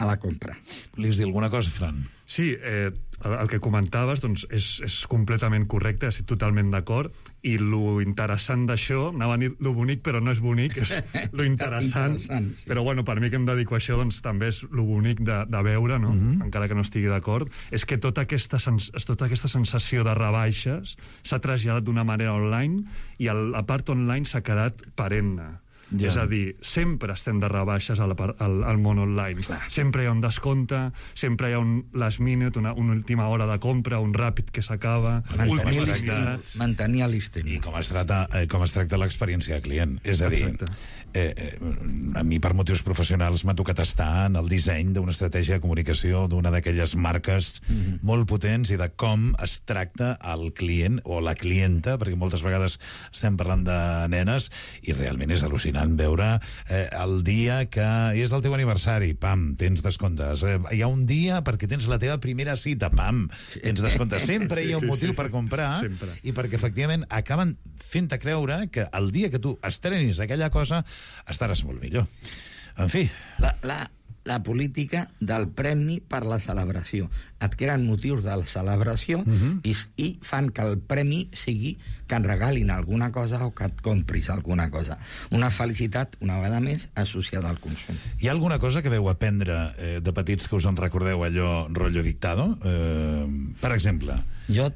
a la compra. Volies dir alguna cosa, Fran? Sí, eh, el que comentaves doncs, és, és completament correcte, estic totalment d'acord, i lo interessant d'això, anava a dir lo bonic, però no és bonic, és lo interessant, interessant sí. Però bueno, per mi que em dedico a això, doncs també és lo bonic de, de veure, no? Mm-hmm. Encara que no estigui d'acord, és que tota aquesta, sens tota aquesta sensació de rebaixes s'ha traslladat d'una manera online i el, la part online s'ha quedat perenne. Yeah. És a dir, sempre estem de rebaixes al, al, al món online. Clar. Sempre hi ha un descompte, sempre hi ha un last minute, una, una última hora de compra, un ràpid que s'acaba... Mantenir l'història. I com es tracta, eh, com es tracta l'experiència de client. És a dir, eh, eh, a mi per motius professionals m'ha tocat estar en el disseny d'una estratègia de comunicació d'una d'aquelles marques mm-hmm. molt potents i de com es tracta el client o la clienta, perquè moltes vegades estem parlant de nenes i realment és al·lucinant veure eh, el dia que és el teu aniversari, pam, tens descomptes. Eh, hi ha un dia perquè tens la teva primera cita, pam, tens descomptes. Sempre hi ha un motiu per comprar sempre. I perquè efectivament acaben fent-te creure que el dia que tu estrenis aquella cosa estaràs molt millor. En fi... La, la, la política del premi per la celebració. Et creen motius de la celebració uh-huh. i, i fan que el premi sigui que et regalin alguna cosa o que et compris alguna cosa. Una felicitat, una vegada més, associada al consum. Hi ha alguna cosa que veu aprendre eh, de petits que us en recordeu allò rotllo dictado? Eh, per exemple? Jo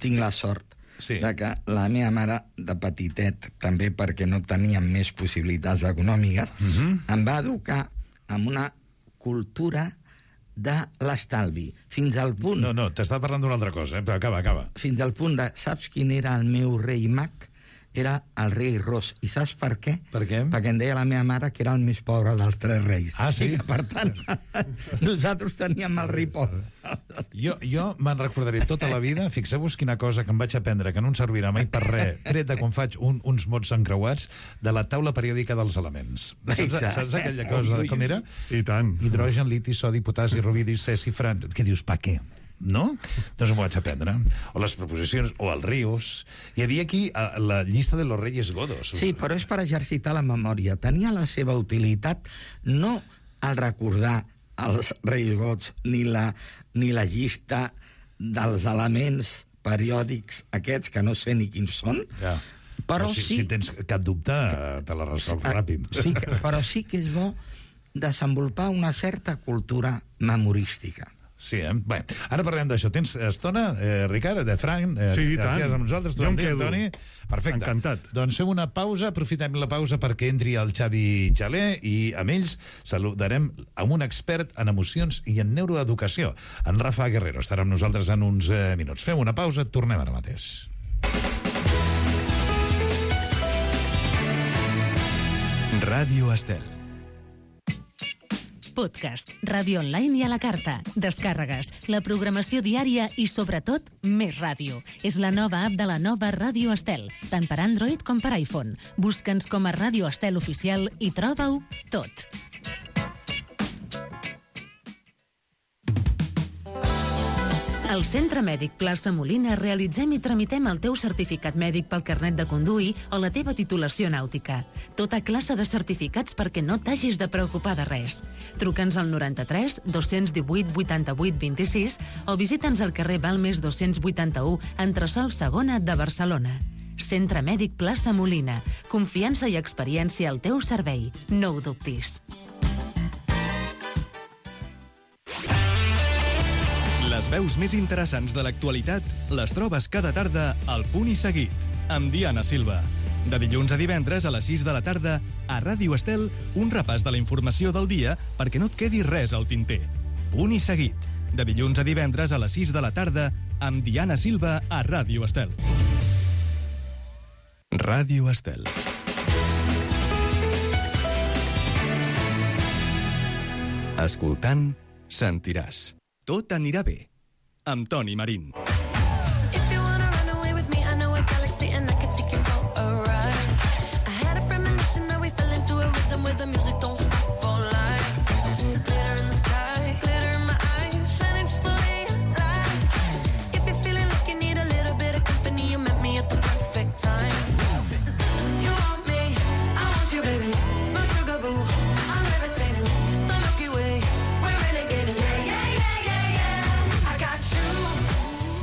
tinc la sort sí. de que la meva mare de petitet, també perquè no teníem més possibilitats econòmiques, uh-huh. em va educar amb una cultura de l'estalvi, fins al punt... No, no, t'estava parlant d'una altra cosa, eh? Però acaba, acaba. Fins al punt de... Saps quin era el meu rei mag? Era el rei Ros. I saps per què? Per què? Perquè em deia la meva mare que era el més pobre dels tres reis. Ah, sí? I que, per tant, nosaltres teníem el rei pobre. Jo, jo me'n recordaré tota la vida, fixeu-vos quina cosa que em vaig aprendre, que no em servirà mai per res, tret de quan faig un, uns mots encreuats, de la taula periòdica dels elements. Saps, saps aquella cosa, com era? I tant. Hidrogen, liti, sodi, potasi, rubidi, cesi, fran... Què dius, pa què? No? Doncs m'ho vaig aprendre. O les proposicions, o els rius. Hi havia aquí a, la llista de los reyes godos. Sí, però és per exercitar la memòria. Tenia la seva utilitat no al recordar els reis gots ni la, ni la llista dels elements periòdics aquests que no sé ni quins són. Ja. Però, però si, sí... si tens cap dubte, te la resols ràpid. Sí, però sí que és bo desenvolupar una certa cultura memorística. Sí, eh? Bé, ara parlem d'això. Tens estona, eh, Ricard, de Frank? Eh, sí, i tant. Amb nosaltres, jo em quedo. Toni. Perfecte. Encantat. Doncs fem una pausa, aprofitem la pausa perquè entri el Xavi Xaler i amb ells saludarem amb un expert en emocions i en neuroeducació. En Rafa Guerrero estarà amb nosaltres en uns eh, minuts. Fem una pausa, tornem ara mateix. Ràdio Estel. Podcast, ràdio online i a la carta, descàrregues, la programació diària i, sobretot, més ràdio. És la nova app de la nova Ràdio Estel, tant per Android com per iPhone. Busca'ns com a Ràdio Estel Oficial i troba-ho tot. Al Centre Mèdic Plaça Molina realitzem i tramitem el teu certificat mèdic pel carnet de conduir o la teva titulació nàutica. Tota classe de certificats perquè no t'hagis de preocupar de res. Truca'ns al noranta-tres dos-cents divuit vuitanta-vuit vint-i-sis o visita'ns al carrer Balmes dos-cents vuitanta-u, entresòl segona de Barcelona. Centre Mèdic Plaça Molina. Confiança i experiència al teu servei. No ho dubtis. Les veus més interessants de l'actualitat les trobes cada tarda al Punt i Seguit, amb Diana Silva. De dilluns a divendres a les sis de la tarda, a Ràdio Estel, un repàs de la informació del dia perquè no et quedi res al tinter. Punt i Seguit. De dilluns a divendres a les sis de la tarda, amb Diana Silva a Ràdio Estel. Ràdio Estel. Escoltant, sentiràs. Tot anirà bé. Amb Toni Marín.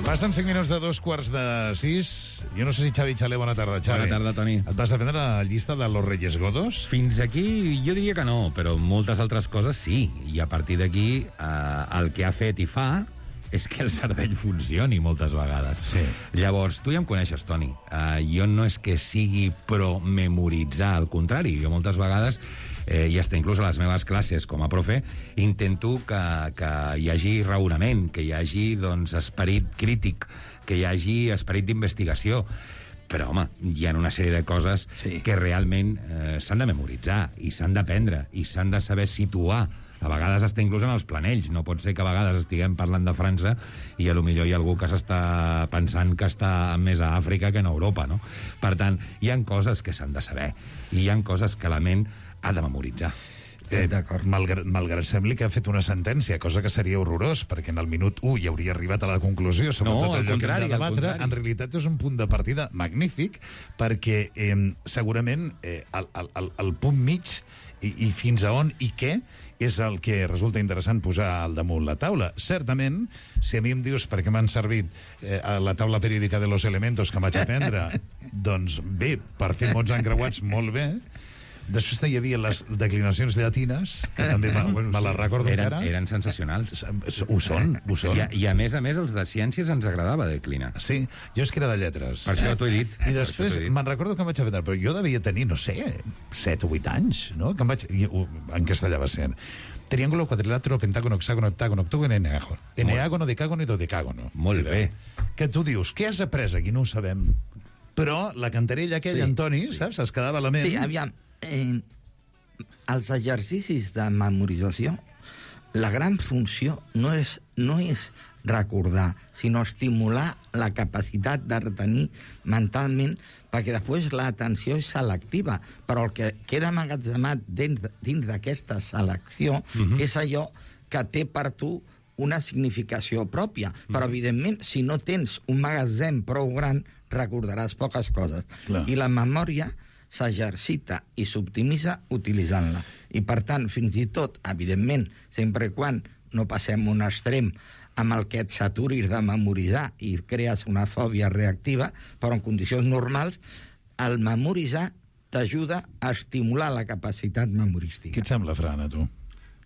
Passen cinc minuts de dos quarts de sis. Jo no sé si Xavi Xalé, bona tarda, Xavi. Bona tarda, Toni. Et vas a prendre la llista de los Reyes Godos? Fins aquí jo diria que no, però moltes altres coses sí. I a partir d'aquí eh, el que ha fet i fa és que el cervell funcioni moltes vegades. Sí. Llavors, tu ja em coneixes, Toni. Uh, jo no és que sigui pro memoritzar, al contrari. Jo moltes vegades, eh, i hasta inclús a les meves classes com a profe, intento que, que hi hagi raonament, que hi hagi doncs, esperit crític, que hi hagi esperit d'investigació. Però, home, hi ha una sèrie de coses sí. que realment eh, s'han de memoritzar, i s'han d'aprendre, i s'han de saber situar. A vegades està inclús en els planells. No pot ser que a vegades estiguem parlant de França i a lo millor hi ha algú que s'està pensant que està més a Àfrica que en Europa, no? Per tant, hi ha coses que s'han de saber i hi ha coses que la ment ha de memoritzar. Eh, malgrat, malgrat sembli que ha fet una sentència, cosa que seria horrorós, perquè en el minut u hi hauria arribat a la conclusió sobre no, tot allò contrari, que hem de debatre. En realitat és un punt de partida magnífic, perquè eh, segurament eh, el, el, el, el punt mig i, i fins a on i què és el que resulta interessant posar al damunt la taula. Certament, si a mi em dius per què m'han servit eh, a la taula periòdica de los elementos que vaig aprendre, doncs bé, per fer mots encreuats molt bé. Després hi havia les declinacions llatines, que també me, me les recordo eren, encara. Eren sensacionals. Ho són, ho són. I, I a més a més, els de ciències ens agradava declinar. Sí, jo és que era de lletres. Per això t'ho he dit. I després me'n recordo que em vaig aprendre, però jo devia tenir, no sé, set o vuit anys, no? Que em vaig... En castellà va ser... Triángulo, quadrilàtero, pentágono, hexàgono, heptàgono, octògono, eneàgono. Eneàgono, decàgono i dodecàgono. Molt bé. Que tu dius, què has après aquí? No ho sabem. Però la cantarella aquella, sí, Antoni, sí. Saps? Es quedava a la ment. Sí, aviam... Eh, els exercicis de memorització, la gran funció no és, no és recordar, sinó estimular la capacitat de retenir mentalment, perquè després l'atenció és selectiva, però el que queda amagatzemat dins, dins d'aquesta selecció uh-huh. és allò que té per tu una significació pròpia. Uh-huh. Però, evidentment, si no tens un magatzem prou gran, recordaràs poques coses. Clar. I la memòria s'exercita i s'optimitza utilitzant-la. I, per tant, fins i tot, evidentment, sempre i quan no passem un extrem amb el que et saturis de memoritzar i crees una fòbia reactiva, però en condicions normals, el memoritzar t'ajuda a estimular la capacitat memorística. Què et sembla, Fran, a tu?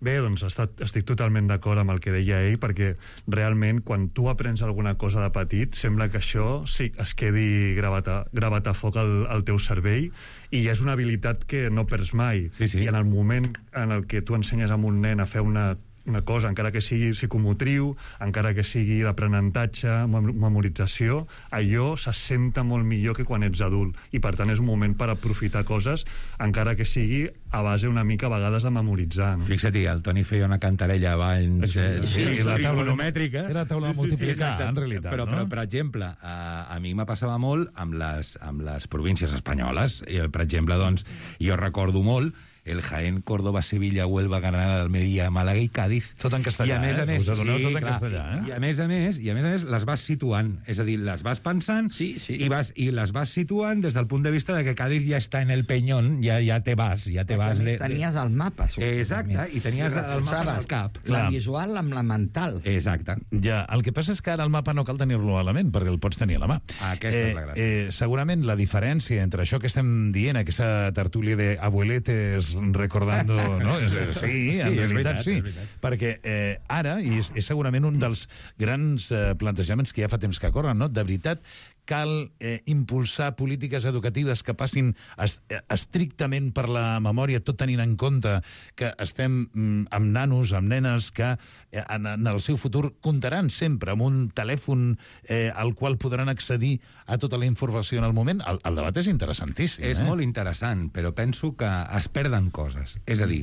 Bé, doncs estat, estic totalment d'acord amb el que deia ell, perquè realment quan tu aprens alguna cosa de petit sembla que això sí es quedi gravat a, gravat a foc al, al teu cervell, i és una habilitat que no perds mai. Sí, sí. I en el moment en el que tu ensenyes a un nen a fer una una cosa, encara que sigui psicomotriu, encara que sigui d'aprenentatge, memorització, allò s'assenta molt millor que quan ets adult. I, per tant, és un moment per aprofitar coses, encara que sigui a base una mica a vegades de memoritzar. No? Fixa't, el Toni feia una cantarella abans... Sí, eh, sí, sí, la taula monomètrica. Era taula de multiplicar, sí, sí, en realitat. Però, no? però per exemple, a, a mi me passava molt amb les, amb les províncies espanyoles. I, per exemple, doncs, jo recordo molt el Jaén, Córdoba, Sevilla, Huelva, Granada, Almeria, Màlaga i Càdiz. Tot en castellà, I a més a eh? més, Us adoneu sí, tot en clar. castellà, eh? I a més a més, i a més a més, les vas situant. És a dir, les vas pensant sí, sí. I, vas, i les vas situant des del punt de vista de que Cádiz ja està en el Peñón, ja, ja te vas, ja te vas de... Tenies el mapa, Exacte, i tenies I el mapa al cap. La visual amb la mental. Exacte. Ja, el que passa és que ara el mapa no cal tenir-lo a la ment, perquè el pots tenir a la mà. Aquesta eh, és la gràcia. Eh, segurament la diferència entre això que estem dient, aquesta tertúlia de abueletes recordando... No? Sí, Sí, en és realitat veritat, sí. és veritat. Perquè eh, ara, i és, és segurament un dels grans eh, plantejaments que ja fa temps que corren, no? De veritat, cal eh, impulsar polítiques educatives que passin est estrictament per la memòria, tot tenint en compte que estem mm, amb nanos, amb nenes que eh, en, en el seu futur comptaran sempre amb un telèfon eh, al qual podran accedir a tota la informació en el moment. El, el debat és interessantíssim. És eh? molt interessant, però penso que es perden coses. És a dir,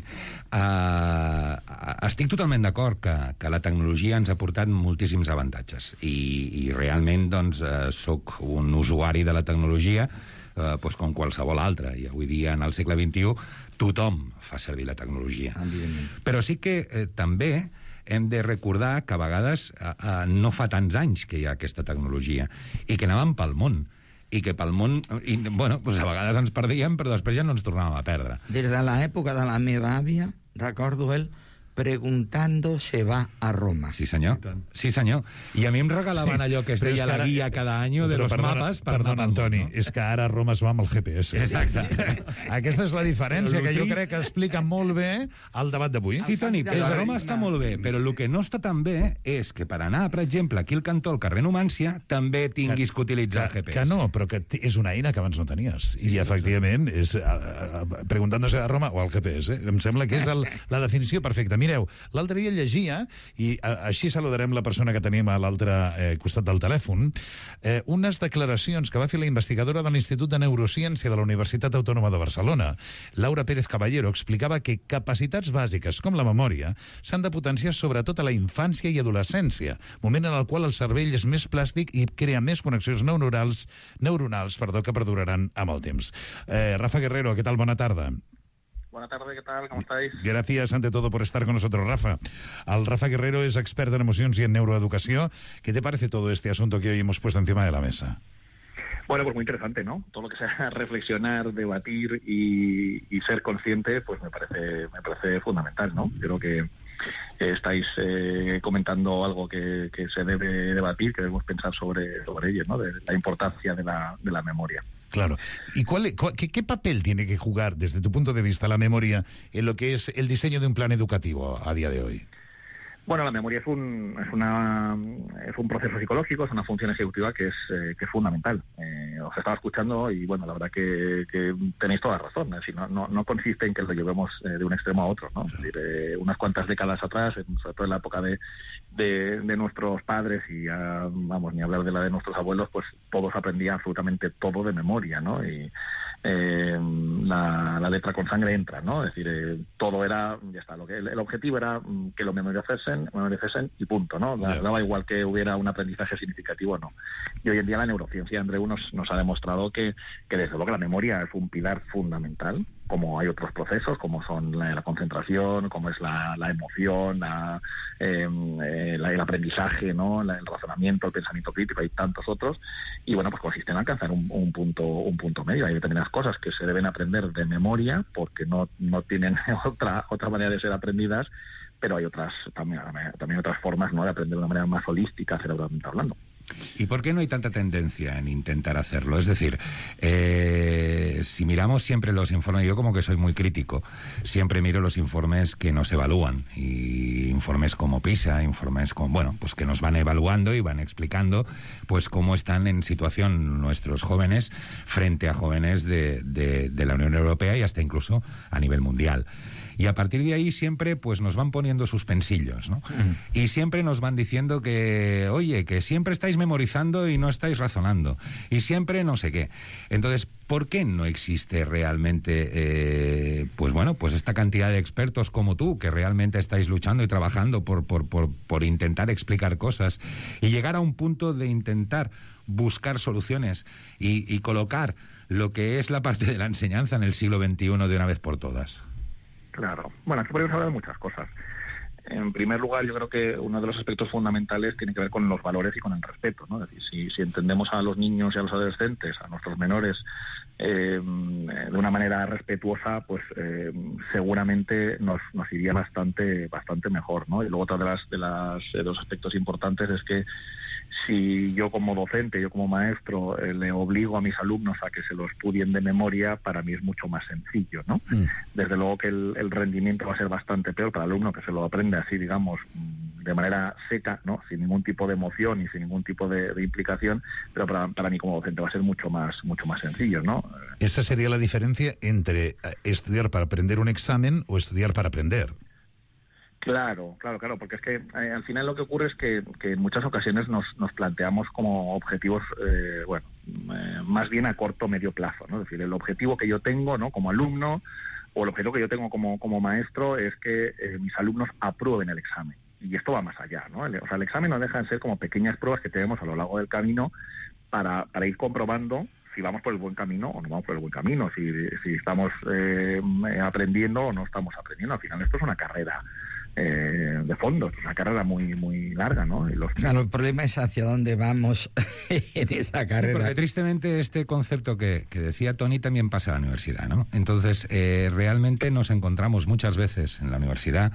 eh, estic totalment d'acord que, que la tecnologia ens ha portat moltíssims avantatges i, i realment doncs, eh, soc un usuari de la tecnologia eh, doncs com qualsevol altre, i avui dia en el segle vint-i-u tothom fa servir la tecnologia. Però sí que eh, també hem de recordar que a vegades eh, eh, no fa tants anys que hi ha aquesta tecnologia i que anàvem pel món i que pel món, i, bueno, doncs a vegades ens perdíem, però després ja no ens tornàvem a perdre. Des de l'època de la meva àvia, recordo el preguntando se va a Roma. Sí, senyor. Sí, senyor. I a mi em regalaven Sí, allò que es però és deia que la ara- guia cada any de Però los perdona, mapes per perdona, anar pel Antoni, món, no? és que ara Roma es va amb el G P S. Exacte. Aquesta és la diferència Però que jo trist- crec que explica molt bé el debat d'avui. Sí, Toni, però a Roma està molt bé, però el que no està tan bé és que per anar, per exemple, aquí al cantó, al carrer Numància, també tinguis que utilitzar el G P S. Que no, però que t- és una eina que abans no tenies. I efectivament, és a, a, a, preguntant-se a Roma o al G P S. Eh? Em sembla que és el, la definició perfecta. Mireu, l'altre dia llegia, i a, així saludarem la persona que tenim a l'altre eh, costat del telèfon, eh, unes declaracions que va fer la investigadora de l'Institut de Neurociència de la Universitat Autònoma de Barcelona, Laura Pérez Caballero, explicava que capacitats bàsiques com la memòria s'han de potenciar sobretot a la infància i adolescència, moment en el qual el cervell és més plàstic i crea més connexions neuronals, neuronals perdó, que perduraran amb el temps. Eh, Rafa Guerrero, ¿qué tal? Buena tarde. Buenas tardes, ¿qué tal? ¿Cómo estáis? Gracias ante todo por estar con nosotros, Rafa. Al Rafa Guerrero es experto en emociones y en neuroeducación. ¿Qué te parece todo este asunto que hoy hemos puesto encima de la mesa? Bueno, pues muy interesante, ¿no? Todo lo que sea reflexionar, debatir y, y ser consciente, pues me parece, me parece fundamental, ¿no? Creo que eh, estáis eh, comentando algo que, que se debe debatir, que debemos pensar sobre, sobre ello, ¿no? De la importancia de la, de la memoria. Claro. ¿Y cuál, cuál, qué, qué papel tiene que jugar, desde tu punto de vista, la memoria en lo que es el diseño de un plan educativo a día de hoy? Bueno, la memoria es un es una es un proceso psicológico, es una función ejecutiva que es eh, que es fundamental. Eh, os estaba escuchando y bueno, la verdad que, que tenéis toda razón. Es decir, no, no, no consiste en que lo llevemos eh, de un extremo a otro, ¿no? Es decir, eh, unas cuantas décadas atrás, en, sobre todo en la época de, de, de nuestros padres y ya, vamos, ni hablar de la de nuestros abuelos, pues todos aprendían absolutamente todo de memoria, ¿no? Y eh, la, la letra con sangre entra, ¿no? Es decir, eh, todo era, ya está, lo que el, el objetivo era mm, que lo memorizasen, memorizasen y punto, ¿no? Da, Yeah. daba igual que hubiera un aprendizaje significativo o no. Y hoy en día la neurociencia, Andreu, nos, nos ha demostrado que, que desde luego la memoria es un pilar fundamental, como hay otros procesos, como son la, la concentración, como es la, la emoción, la, eh, eh, la, el aprendizaje, ¿no? La, el razonamiento, el pensamiento crítico, hay tantos otros, y bueno, pues consiste en alcanzar un, un punto un punto medio. Hay determinadas cosas que se deben aprender de memoria, porque no, no tienen otra, otra manera de ser aprendidas, pero hay otras también, también otras formas, ¿no?, de aprender de una manera más holística, cerebralmente hablando. ¿Y por qué no hay tanta tendencia en intentar hacerlo? Es decir, eh, si miramos siempre los informes, yo como que soy muy crítico, siempre miro los informes que nos evalúan, y informes como PISA, informes con, bueno, pues que nos van evaluando y van explicando pues cómo están en situación nuestros jóvenes frente a jóvenes de, de, de la Unión Europea y hasta incluso a nivel mundial. Y a partir de ahí siempre pues nos van poniendo suspensillos, ¿no? Mm. Y siempre nos van diciendo que, oye, que siempre estáis memorizando y no estáis razonando. Y siempre no sé qué. Entonces, ¿por qué no existe realmente, eh, pues bueno, pues esta cantidad de expertos como tú, que realmente estáis luchando y trabajando por, por, por, por intentar explicar cosas y llegar a un punto de intentar buscar soluciones y, y colocar lo que es la parte de la enseñanza en el siglo veintiuno de una vez por todas? Claro. Bueno, aquí podemos hablar de muchas cosas. En primer lugar, yo creo que uno de los aspectos fundamentales tiene que ver con los valores y con el respeto, ¿no? Es decir, si, si entendemos a los niños y a los adolescentes, a nuestros menores, eh, de una manera respetuosa, pues eh, seguramente nos, nos iría bastante bastante mejor, ¿no? Y luego otra de las de las de los aspectos importantes es que si yo como docente, yo como maestro, eh, le obligo a mis alumnos a que se lo estudien de memoria, para mí es mucho más sencillo, ¿no? Mm. Desde luego que el, el rendimiento va a ser bastante peor para el alumno que se lo aprende así, digamos, de manera seca, ¿no? Sin ningún tipo de emoción y sin ningún tipo de, de implicación, pero para, para mí como docente va a ser mucho más, mucho más sencillo, ¿no? Esa sería la diferencia entre estudiar para aprender un examen o estudiar para aprender. Claro, claro, claro, porque es que eh, al final lo que ocurre es que, que en muchas ocasiones nos, nos planteamos como objetivos, eh, bueno, eh, más bien a corto o medio plazo, ¿no? Es decir, el objetivo que yo tengo, ¿no?, como alumno, o el objetivo que yo tengo como, como maestro es que eh, mis alumnos aprueben el examen. Y esto va más allá, ¿no? El, o sea, el examen no deja de ser como pequeñas pruebas que tenemos a lo largo del camino para, para ir comprobando si vamos por el buen camino o no vamos por el buen camino, si, si estamos eh, aprendiendo o no estamos aprendiendo. Al final esto es una carrera Eh, de fondo, es una carrera muy muy larga, ¿no? Y los... Claro, el problema es hacia dónde vamos en esa carrera. Sí, porque tristemente este concepto que, que decía Tony también pasa a la universidad, ¿no? Entonces, eh, realmente nos encontramos muchas veces en la universidad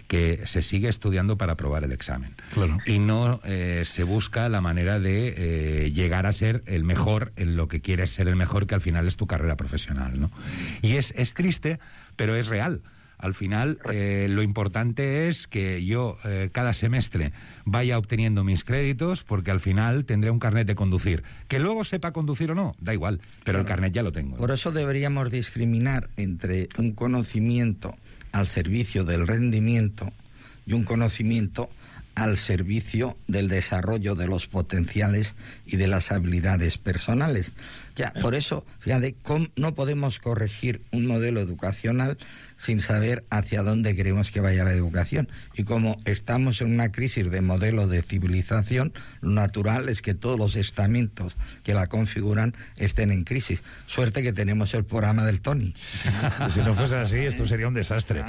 que se sigue estudiando para aprobar el examen. Claro. Y no eh, se busca la manera de eh, llegar a ser el mejor en lo que quieres ser el mejor, que al final es tu carrera profesional, ¿no? Y es, es triste, pero es real. Al final, eh, lo importante es que yo eh, cada semestre vaya obteniendo mis créditos, porque al final tendré un carnet de conducir. Que luego sepa conducir o no, da igual, pero claro, el carnet ya lo tengo. Por eso deberíamos discriminar entre un conocimiento al servicio del rendimiento y un conocimiento al servicio del desarrollo de los potenciales y de las habilidades personales. Ya, por eso, fíjate, no podemos corregir un modelo educacional sin saber hacia dónde queremos que vaya la educación. Y como estamos en una crisis de modelo de civilización, lo natural es que todos los estamentos que la configuran estén en crisis. Suerte que tenemos el programa del Tony. Si no fuese así, esto sería un desastre.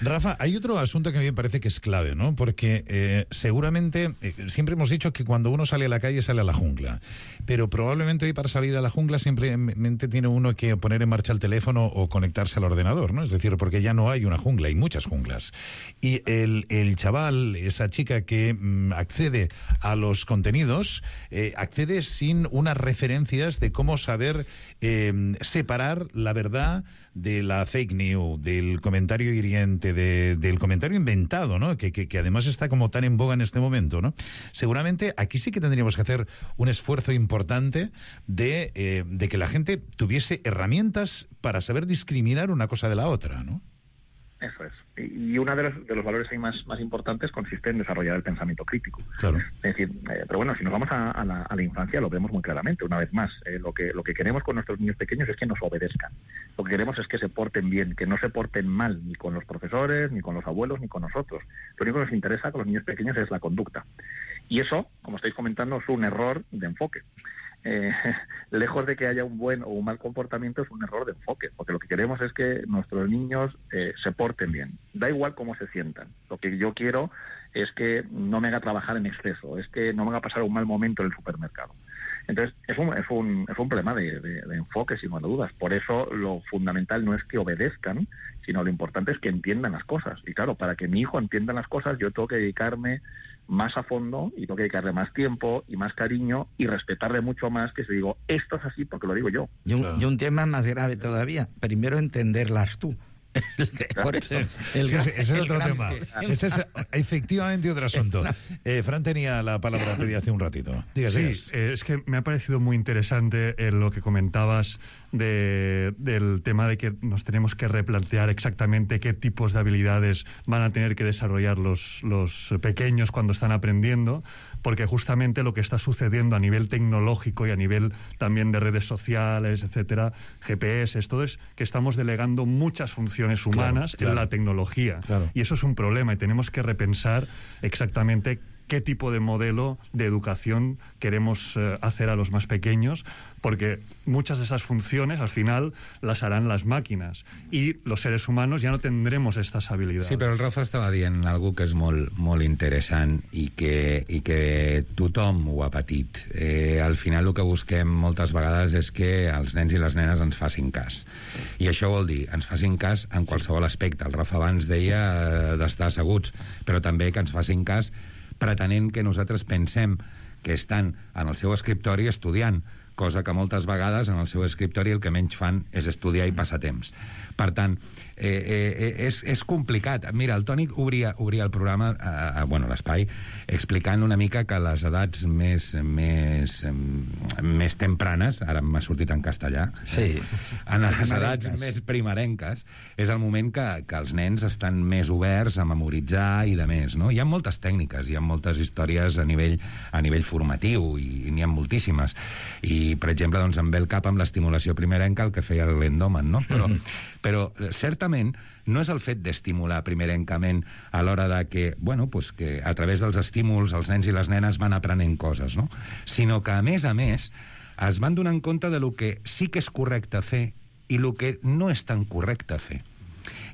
Rafa, hay otro asunto que a mí me parece que es clave, ¿no? Porque eh, seguramente, eh, siempre hemos dicho que cuando uno sale a la calle sale a la jungla, pero probablemente hoy para salir a la jungla simplemente tiene uno que poner en marcha el teléfono o conectarse al ordenador, ¿no? Es decir, porque ya no hay una jungla, hay muchas junglas. Y el, el chaval, esa chica que mmm, accede a los contenidos, eh, accede sin unas referencias de cómo saber eh, separar la verdad de la fake news, del comentario hiriente, de, del comentario inventado, ¿no? Que, que, que además está como tan en boga en este momento, ¿no? Seguramente aquí sí que tendríamos que hacer un esfuerzo importante de, eh, de que la gente tuviese herramientas para saber discriminar una cosa de la otra, ¿no? Eso es. Y uno de los, de los valores ahí más, más importantes consiste en desarrollar el pensamiento crítico. Claro. Es decir, eh, pero bueno, si nos vamos a, a, la, a la infancia lo vemos muy claramente, una vez más. Eh, lo que lo que queremos con nuestros niños pequeños es que nos obedezcan. Lo que queremos es que se porten bien, que no se porten mal, ni con los profesores, ni con los abuelos, ni con nosotros. Lo único que nos interesa con los niños pequeños es la conducta. Y eso, como estáis comentando, es un error de enfoque. Eh, lejos de que haya un buen o un mal comportamiento, es un error de enfoque, porque lo que queremos es que nuestros niños eh, se porten bien, da igual cómo se sientan. Lo que yo quiero es que no me haga trabajar en exceso, es que no me haga pasar un mal momento en el supermercado. Entonces, es un, es un, es un problema de, de, de enfoque, sin lugar a dudas. Por eso lo fundamental no es que obedezcan, sino lo importante es que entiendan las cosas. Y claro, para que mi hijo entienda las cosas, yo tengo que dedicarme más a fondo y tengo que dedicarle más tiempo y más cariño y respetarle mucho más que si digo, esto es así porque lo digo yo. Y un, claro. y un tema más grave todavía, primero entenderlas tú. Por eso, el, ese, ese es otro tema. Ese es efectivamente otro asunto. Eh, Fran tenía la palabra pedida hace un ratito. Dígase. Sí, eh, es que me ha parecido muy interesante eh, lo que comentabas de, del tema de que nos tenemos que replantear exactamente qué tipos de habilidades van a tener que desarrollar los, los pequeños cuando están aprendiendo, porque justamente lo que está sucediendo a nivel tecnológico y a nivel también de redes sociales, etcétera, G P S, todo es que estamos delegando muchas funciones humanas claro, claro, en la tecnología. Claro. Y eso es un problema y tenemos que repensar exactamente qué tipo de modelo de educación queremos eh, hacer a los más pequeños, porque muchas de esas funciones al final las harán las máquinas y los seres humanos ya no tendremos estas habilidades. Sí, però el Rafa estava dient algo que és molt, molt interessant i que, i que tothom ho ha patit. Eh, al final el que busquem moltes vegades és que els nens i les nenes ens facin cas. I això vol dir, ens facin cas en qualsevol aspecte. El Rafa abans deia eh, d'estar asseguts, però també que ens facin cas pretenent que nosaltres pensem que estan en el seu escriptori estudiant, cosa que moltes vegades en el seu escriptori el que menys fan és estudiar i passar temps. Per tant, eh, eh, és, és complicat. Mira, el Toni obria, obria el programa, eh, bueno, l'espai, explicant una mica que les edats més, més, més tempranes, ara m'ha sortit en castellà, sí. en les edats més primerenques, és el moment que, que els nens estan més oberts a memoritzar i de més, no? Hi ha moltes tècniques, hi ha moltes històries a nivell, a nivell formatiu, i, i n'hi ha moltíssimes. I, per exemple, doncs, em ve el cap amb l'estimulació primerenca el que feia l'Endoman, no? Però, però certament no és el fet d'estimular primerencament a l'hora de que, bueno, pues que a través dels estímuls els nens i les nenes van aprenent coses, no? Sinó que, a més a més, es van donar compte de lo que sí que és correcte fer i lo que no és tan correcte fer.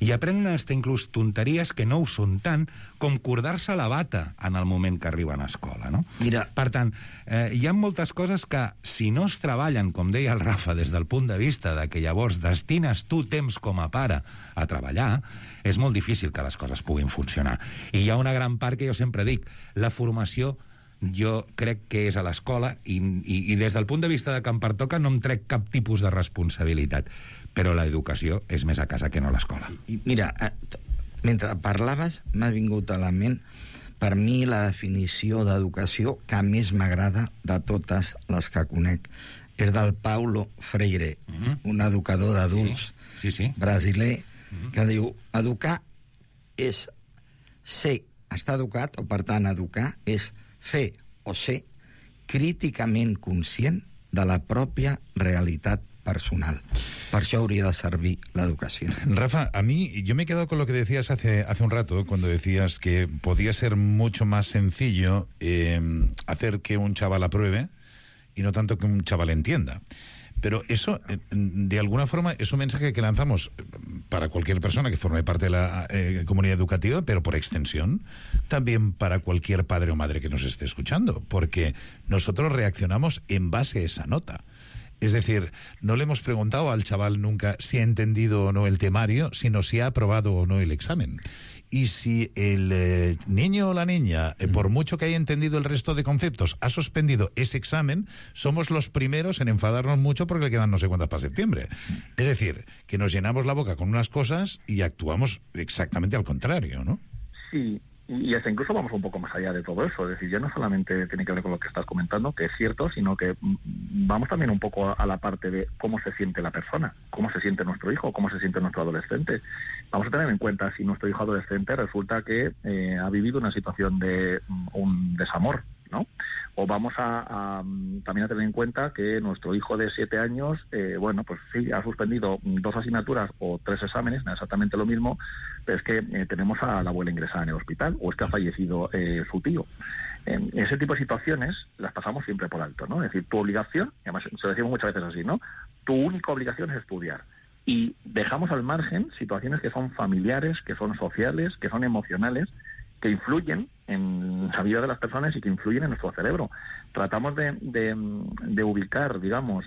I aprenen hasta inclús tonteries que no ho són tant com cordar-se la bata en el moment que arriben a escola, no? Mira. Per tant, eh, hi ha moltes coses que, si no es treballen, com deia el Rafa, des del punt de vista de que llavors destines tu temps com a pare a treballar, és molt difícil que les coses puguin funcionar. I hi ha una gran part que jo sempre dic, la formació jo crec que és a l'escola i, i, i des del punt de vista de que em pertoca no em trec cap tipus de responsabilitat, però l'educació és més a casa que no a l'escola. I mira, mentre parlaves m'ha vingut a la ment per mi la definició d'educació que més m'agrada de totes les que conec és del Paulo Freire, mm-hmm. un educador d'adults sí, sí, sí. brasiler, mm-hmm. que diu, educar és ser, estar educat, o per tant educar és fer o ser críticament conscient de la pròpia realitat personal. Per això hauria de servir l'educació. Rafa, a mí, yo me he quedado con lo que decías hace, hace un rato, cuando decías que podía ser mucho más sencillo eh, hacer que un chaval apruebe y no tanto que un chaval entienda. Pero eso, de alguna forma, es un mensaje que lanzamos para cualquier persona que forme parte de la eh, comunidad educativa, pero por extensión, también para cualquier padre o madre que nos esté escuchando, porque nosotros reaccionamos en base a esa nota. Es decir, no le hemos preguntado al chaval nunca si ha entendido o no el temario, sino si ha aprobado o no el examen. Y si el eh, niño o la niña, eh, por mucho que haya entendido el resto de conceptos, ha suspendido ese examen, somos los primeros en enfadarnos mucho porque le quedan no sé cuántas para septiembre. Es decir, que nos llenamos la boca con unas cosas y actuamos exactamente al contrario, ¿no? Sí. Y hasta incluso vamos un poco más allá de todo eso. Es decir, ya no solamente tiene que ver con lo que estás comentando, que es cierto, sino que vamos también un poco a la parte de cómo se siente la persona, cómo se siente nuestro hijo, cómo se siente nuestro adolescente. Vamos a tener en cuenta si nuestro hijo adolescente resulta que eh, ha vivido una situación de un desamor, ¿no? O vamos a, a también a tener en cuenta que nuestro hijo de siete años, eh, bueno, pues sí, ha suspendido dos asignaturas o tres exámenes, no exactamente lo mismo, pero es que eh, tenemos a la abuela ingresada en el hospital o es que ha fallecido eh, su tío. En ese tipo de situaciones las pasamos siempre por alto, ¿no? Es decir, tu obligación, y además se lo decimos muchas veces así, ¿no? Tu única obligación es estudiar. Y dejamos al margen situaciones que son familiares, que son sociales, que son emocionales, que influyen en la vida de las personas y que influyen en nuestro cerebro. Tratamos de, de, de ubicar, digamos,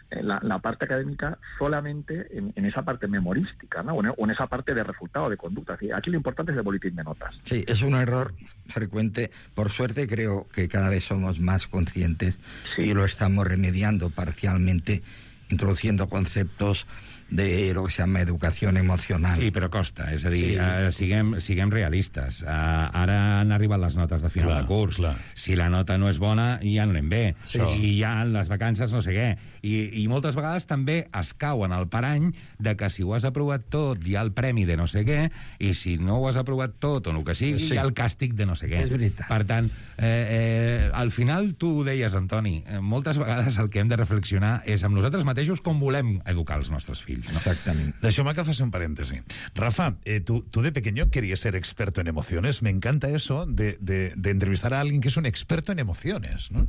la, la parte académica solamente en, en esa parte memorística, ¿no? O en, o en esa parte de resultado, de conducta. Aquí lo importante es el boletín de notas. Sí, es un error frecuente. Por suerte creo que cada vez somos más conscientes sí. y lo estamos remediando parcialmente, introduciendo conceptos de lo que se llama educació emocional. Sí, però costa, és a dir, sí. uh, siguem, siguem realistes. Uh, ara han arribat les notes de final clar, de curs. Clar. Si la nota no és bona, ja no anem bé. Sí. I ja les vacances no sé què. I, I moltes vegades també es cau en el parany de que si ho has aprovat tot hi ha el premi de no sé què, i si no ho has aprovat tot o el que sigui, sí. hi ha el càstig de no sé què. És veritat. Per tant, eh, eh, al final tu ho deies, Antoni, eh, moltes vegades el que hem de reflexionar és amb nosaltres mateixos com volem educar els nostres fills. fills. ¿no? Exactamente. Deixa'me que faci un paréntesi. Rafa, eh, tú, tú de pequeño querías ser experto en emociones. Me encanta eso de, de, de entrevistar a alguien que es un experto en emociones, ¿no?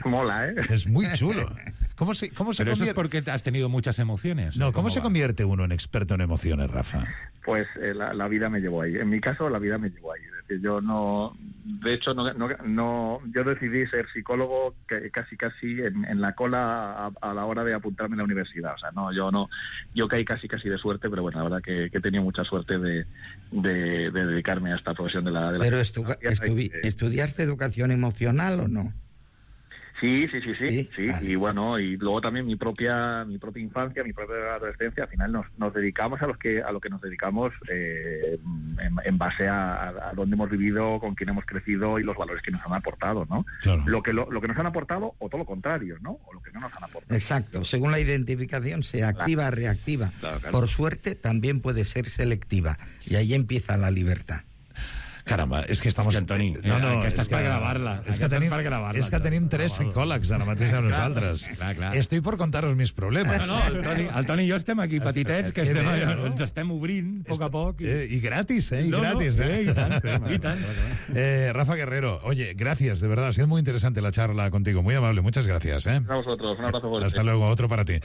Mola, ¿eh? Es muy chulo. ¿Cómo se, cómo se Pero eso es convierte- porque has tenido muchas emociones. No, ¿o ¿cómo se va? convierte uno en experto en emociones, Rafa? Pues eh, la, la vida me llevó ahí. En mi caso, la vida me llevó ahí. Es decir, yo no... De hecho, no, no, no yo decidí ser psicólogo que, casi casi en, en la cola a, a la hora de apuntarme en la universidad. O sea, no, yo no... Yo caí casi casi de suerte, pero bueno, la verdad que, que he tenido mucha suerte de, de, de dedicarme a esta profesión de la... De la Pero estu estu ¿estudiaste educación emocional o no? Sí, sí, sí, sí, Sí, sí. vale. Y bueno, y luego también mi propia mi propia infancia, mi propia adolescencia, al final nos, nos dedicamos a los que a lo que nos dedicamos eh, en, en base a, a dónde hemos vivido, con quién hemos crecido y los valores que nos han aportado, ¿no? Claro. Lo que lo, lo que nos han aportado o todo lo contrario, ¿no? O lo que no nos han aportado. Exacto, según la identificación, sea activa o reactiva. Claro, claro. Por suerte, también puede ser selectiva. Y ahí empieza la libertad. Caramba, és que estamos... És que, Antoni, no, no, aquesta és és per que- gravar-la. És que Aquesta tenim, és per gravar-la. és que tenim tres psicòlegs ara mateix a nosaltres. Clar, clar. Estoy por contaros mis problemes. No, no, el Toni, el Toni i jo estem aquí petitets, que Que estem, bé, no? ens estem obrint a poc a poc. Eh, y gratis, ¿eh? Y No, no, gratis, ¿eh? eh, i tant, i tant. Eh, Rafa Guerrero, oye, gracias, de verdad, ha sido muy interesante la charla contigo, muy amable, muchas gracias, ¿eh? A vosotros, un abrazo fuerte. Hasta luego, otro para ti.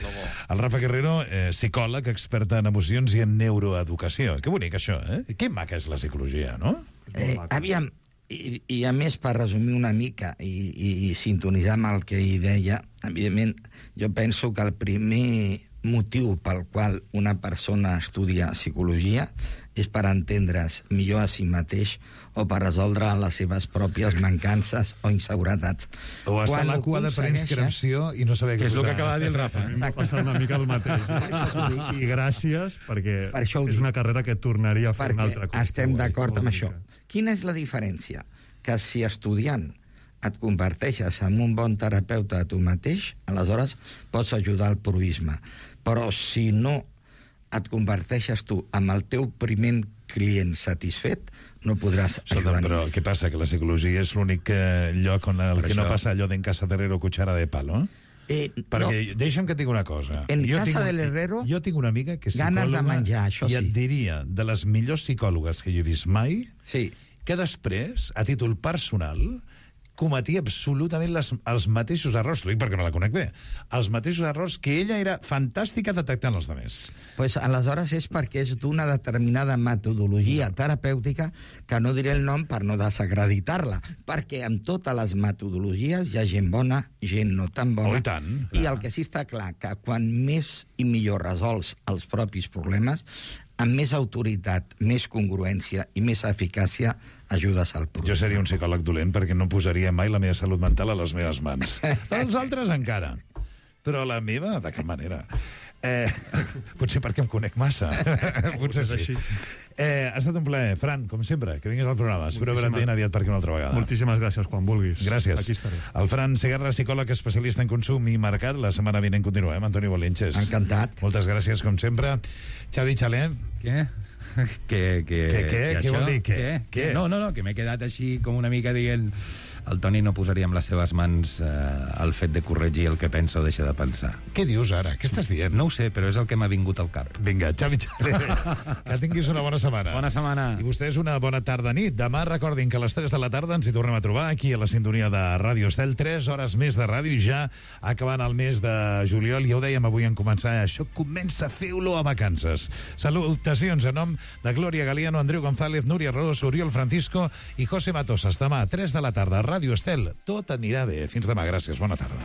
El Rafa Guerrero, eh, psicòleg, experta en emocions i en neuroeducació. Que bonic, això, eh? Que maca és la psicologia, no? Eh, aviam, i, i a més, per resumir una mica i, i, i sintonitzar amb el que hi deia, evidentment, jo penso que el primer motiu pel qual una persona estudia psicologia és per entendre's millor a si mateix o per resoldre les seves pròpies mancances o inseguretats. O estar Quan a la ho cua de aconsegueixes- preinscripció i no saber què Que és el posar. que acaba de dir el Rafa. A mi em va passar una mica el mateix. I, i gràcies, perquè Per això ho és dic. una carrera que tornaria a fer un altre cop. Estem d'acord amb això. Quina és la diferència? Que si estudiant et converteixes en un bon terapeuta de tu mateix, aleshores pots ajudar al proisme. Però si no et converteixes tu amb el teu primer client satisfet, no podràs Escolta, ajudar però ningú. què passa? Que la psicologia és l'únic eh, lloc on el Per que no això- passa allò d'en casa de herrero cuchara de palo? Eh, Perquè no. Deixa'm que et digui una cosa. En jo casa tinc, del herrero, jo tinc una amiga que és ganes de psicòloga menjar, això i et sí. diria de les millors psicòlogues que jo he vist mai, sí. que després, a títol personal, cometia absolutament les, els mateixos errors, t'ho dic perquè no la conec bé, els mateixos errors que ella era fantàstica detectant els altres. Pues aleshores és perquè és d'una determinada metodologia terapèutica que no diré el nom per no desacreditar-la, perquè amb totes les metodologies hi ha gent bona, gent no tan bona. Oh, i tant, I el que sí està clar, que quan més i millor resols els propis problemes, amb més autoritat, més congruència i més eficàcia ajudes al problema. Jo seria un psicòleg dolent perquè no posaria mai la meva salut mental a les meves mans. Els altres encara. Però la meva, de cap manera. Eh, potser perquè em conec massa. Potser sí. Eh, ha estat un plaer. Fran, com sempre, que vinguis al programa. Espero veure't ben aviat per aquí una altra vegada. Moltíssimes gràcies, quan vulguis. Gràcies. Aquí estaré. El Fran Segarra, psicòleg especialista en consum i mercat. La setmana vinent continuem. Antoni Bolinches. Encantat. Moltes gràcies, com sempre. Xavi Xalé. Què? Que, que, Què, què? que Què això? vol dir, què? Què? Què? No, no, no, que m'he quedat així com una mica dient... El Toni no posaria amb les seves mans eh, el fet de corregir el que pensa o deixa de pensar. Què dius ara? Què estàs dient? No ho sé, però és el que m'ha vingut al cap. Vinga, Xavi Xalé. Que tinguis una bona setmana. Bona setmana. I vostès una bona tarda nit. Demà recordin que a les tres de la tarda ens hi tornem a trobar aquí a la sintonia de Ràdio Estel. tres hores més de ràdio i ja acabant el mes de juliol. Ja ho dèiem avui en començar. Això comença, feu-lo a vacances. Salutacions a nom de Glòria Galiano, Andreu González, Núria Ros, Oriol Francisco i José Matosas. Demà a tres de la tarda a Ràdio Estel. Tot anirà bé. Fins demà. Gràcies. Bona tarda.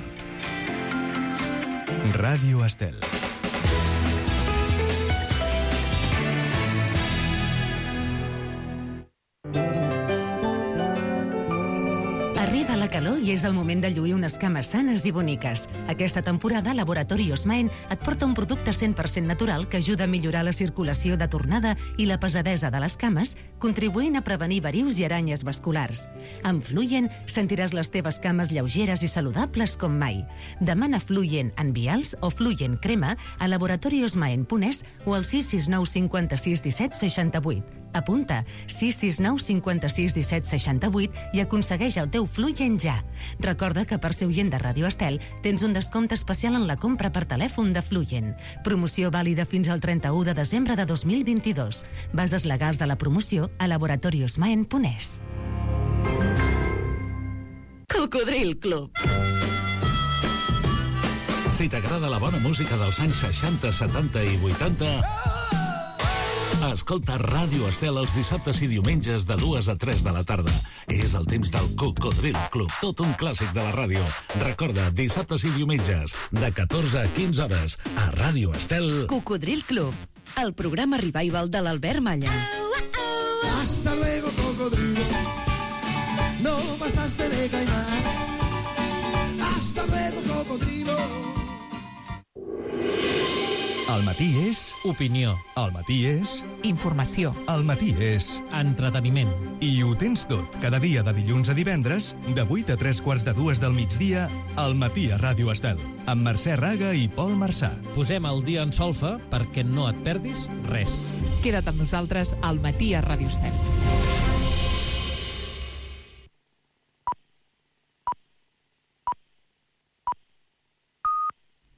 Ràdio Estel. Arriba la calor i és el moment de lluir unes cames sanes i boniques. Aquesta temporada, Laboratori Osmaen et porta un producte cent per cent natural que ajuda a millorar la circulació de tornada i la pesadesa de les cames, contribuint a prevenir verius i aranyes vasculars. Amb Fluyen sentiràs les teves cames lleugeres i saludables com mai. Demana Fluyen en vials o Fluyen crema a laboratoriosmaen punt es o al sis sis nou cinquanta-sis disset seixanta-vuit. Apunta sis sis nou cinquanta-sis disset seixanta-vuit i aconsegueix el teu Fluyen ja. Recorda que per ser oient de Ràdio Estel tens un descompte especial en la compra per telèfon de Fluyen. Promoció vàlida fins al trenta-u de desembre de dos mil vint-i-dos. Bases legals de la promoció a laboratoriosmaen punt es. Cocodril Club. Si t'agrada la bona música dels anys seixanta, setanta i vuitanta, escolta Ràdio Estel els dissabtes i diumenges de dues a tres de la tarda. És el temps del Cocodril Club, tot un clàssic de la ràdio. Recorda, dissabtes i diumenges, de catorze a quinze hores, a Ràdio Estel. Cocodril Club, el programa revival de l'Albert Malla. Hasta luego, cocodrilo. No pasaste de caimán. Hasta luego, cocodrilo. El matí és... Opinió. El matí és... Informació. El matí és... Entreteniment. I ho tens tot, cada dia de dilluns a divendres, de vuit a tres quarts de dues del migdia, al matí a Ràdio Estel, amb Mercè Raga i Pol Marçà. Posem el dia en solfa perquè no et perdis res. Queda't amb nosaltres al matí a Ràdio Estel.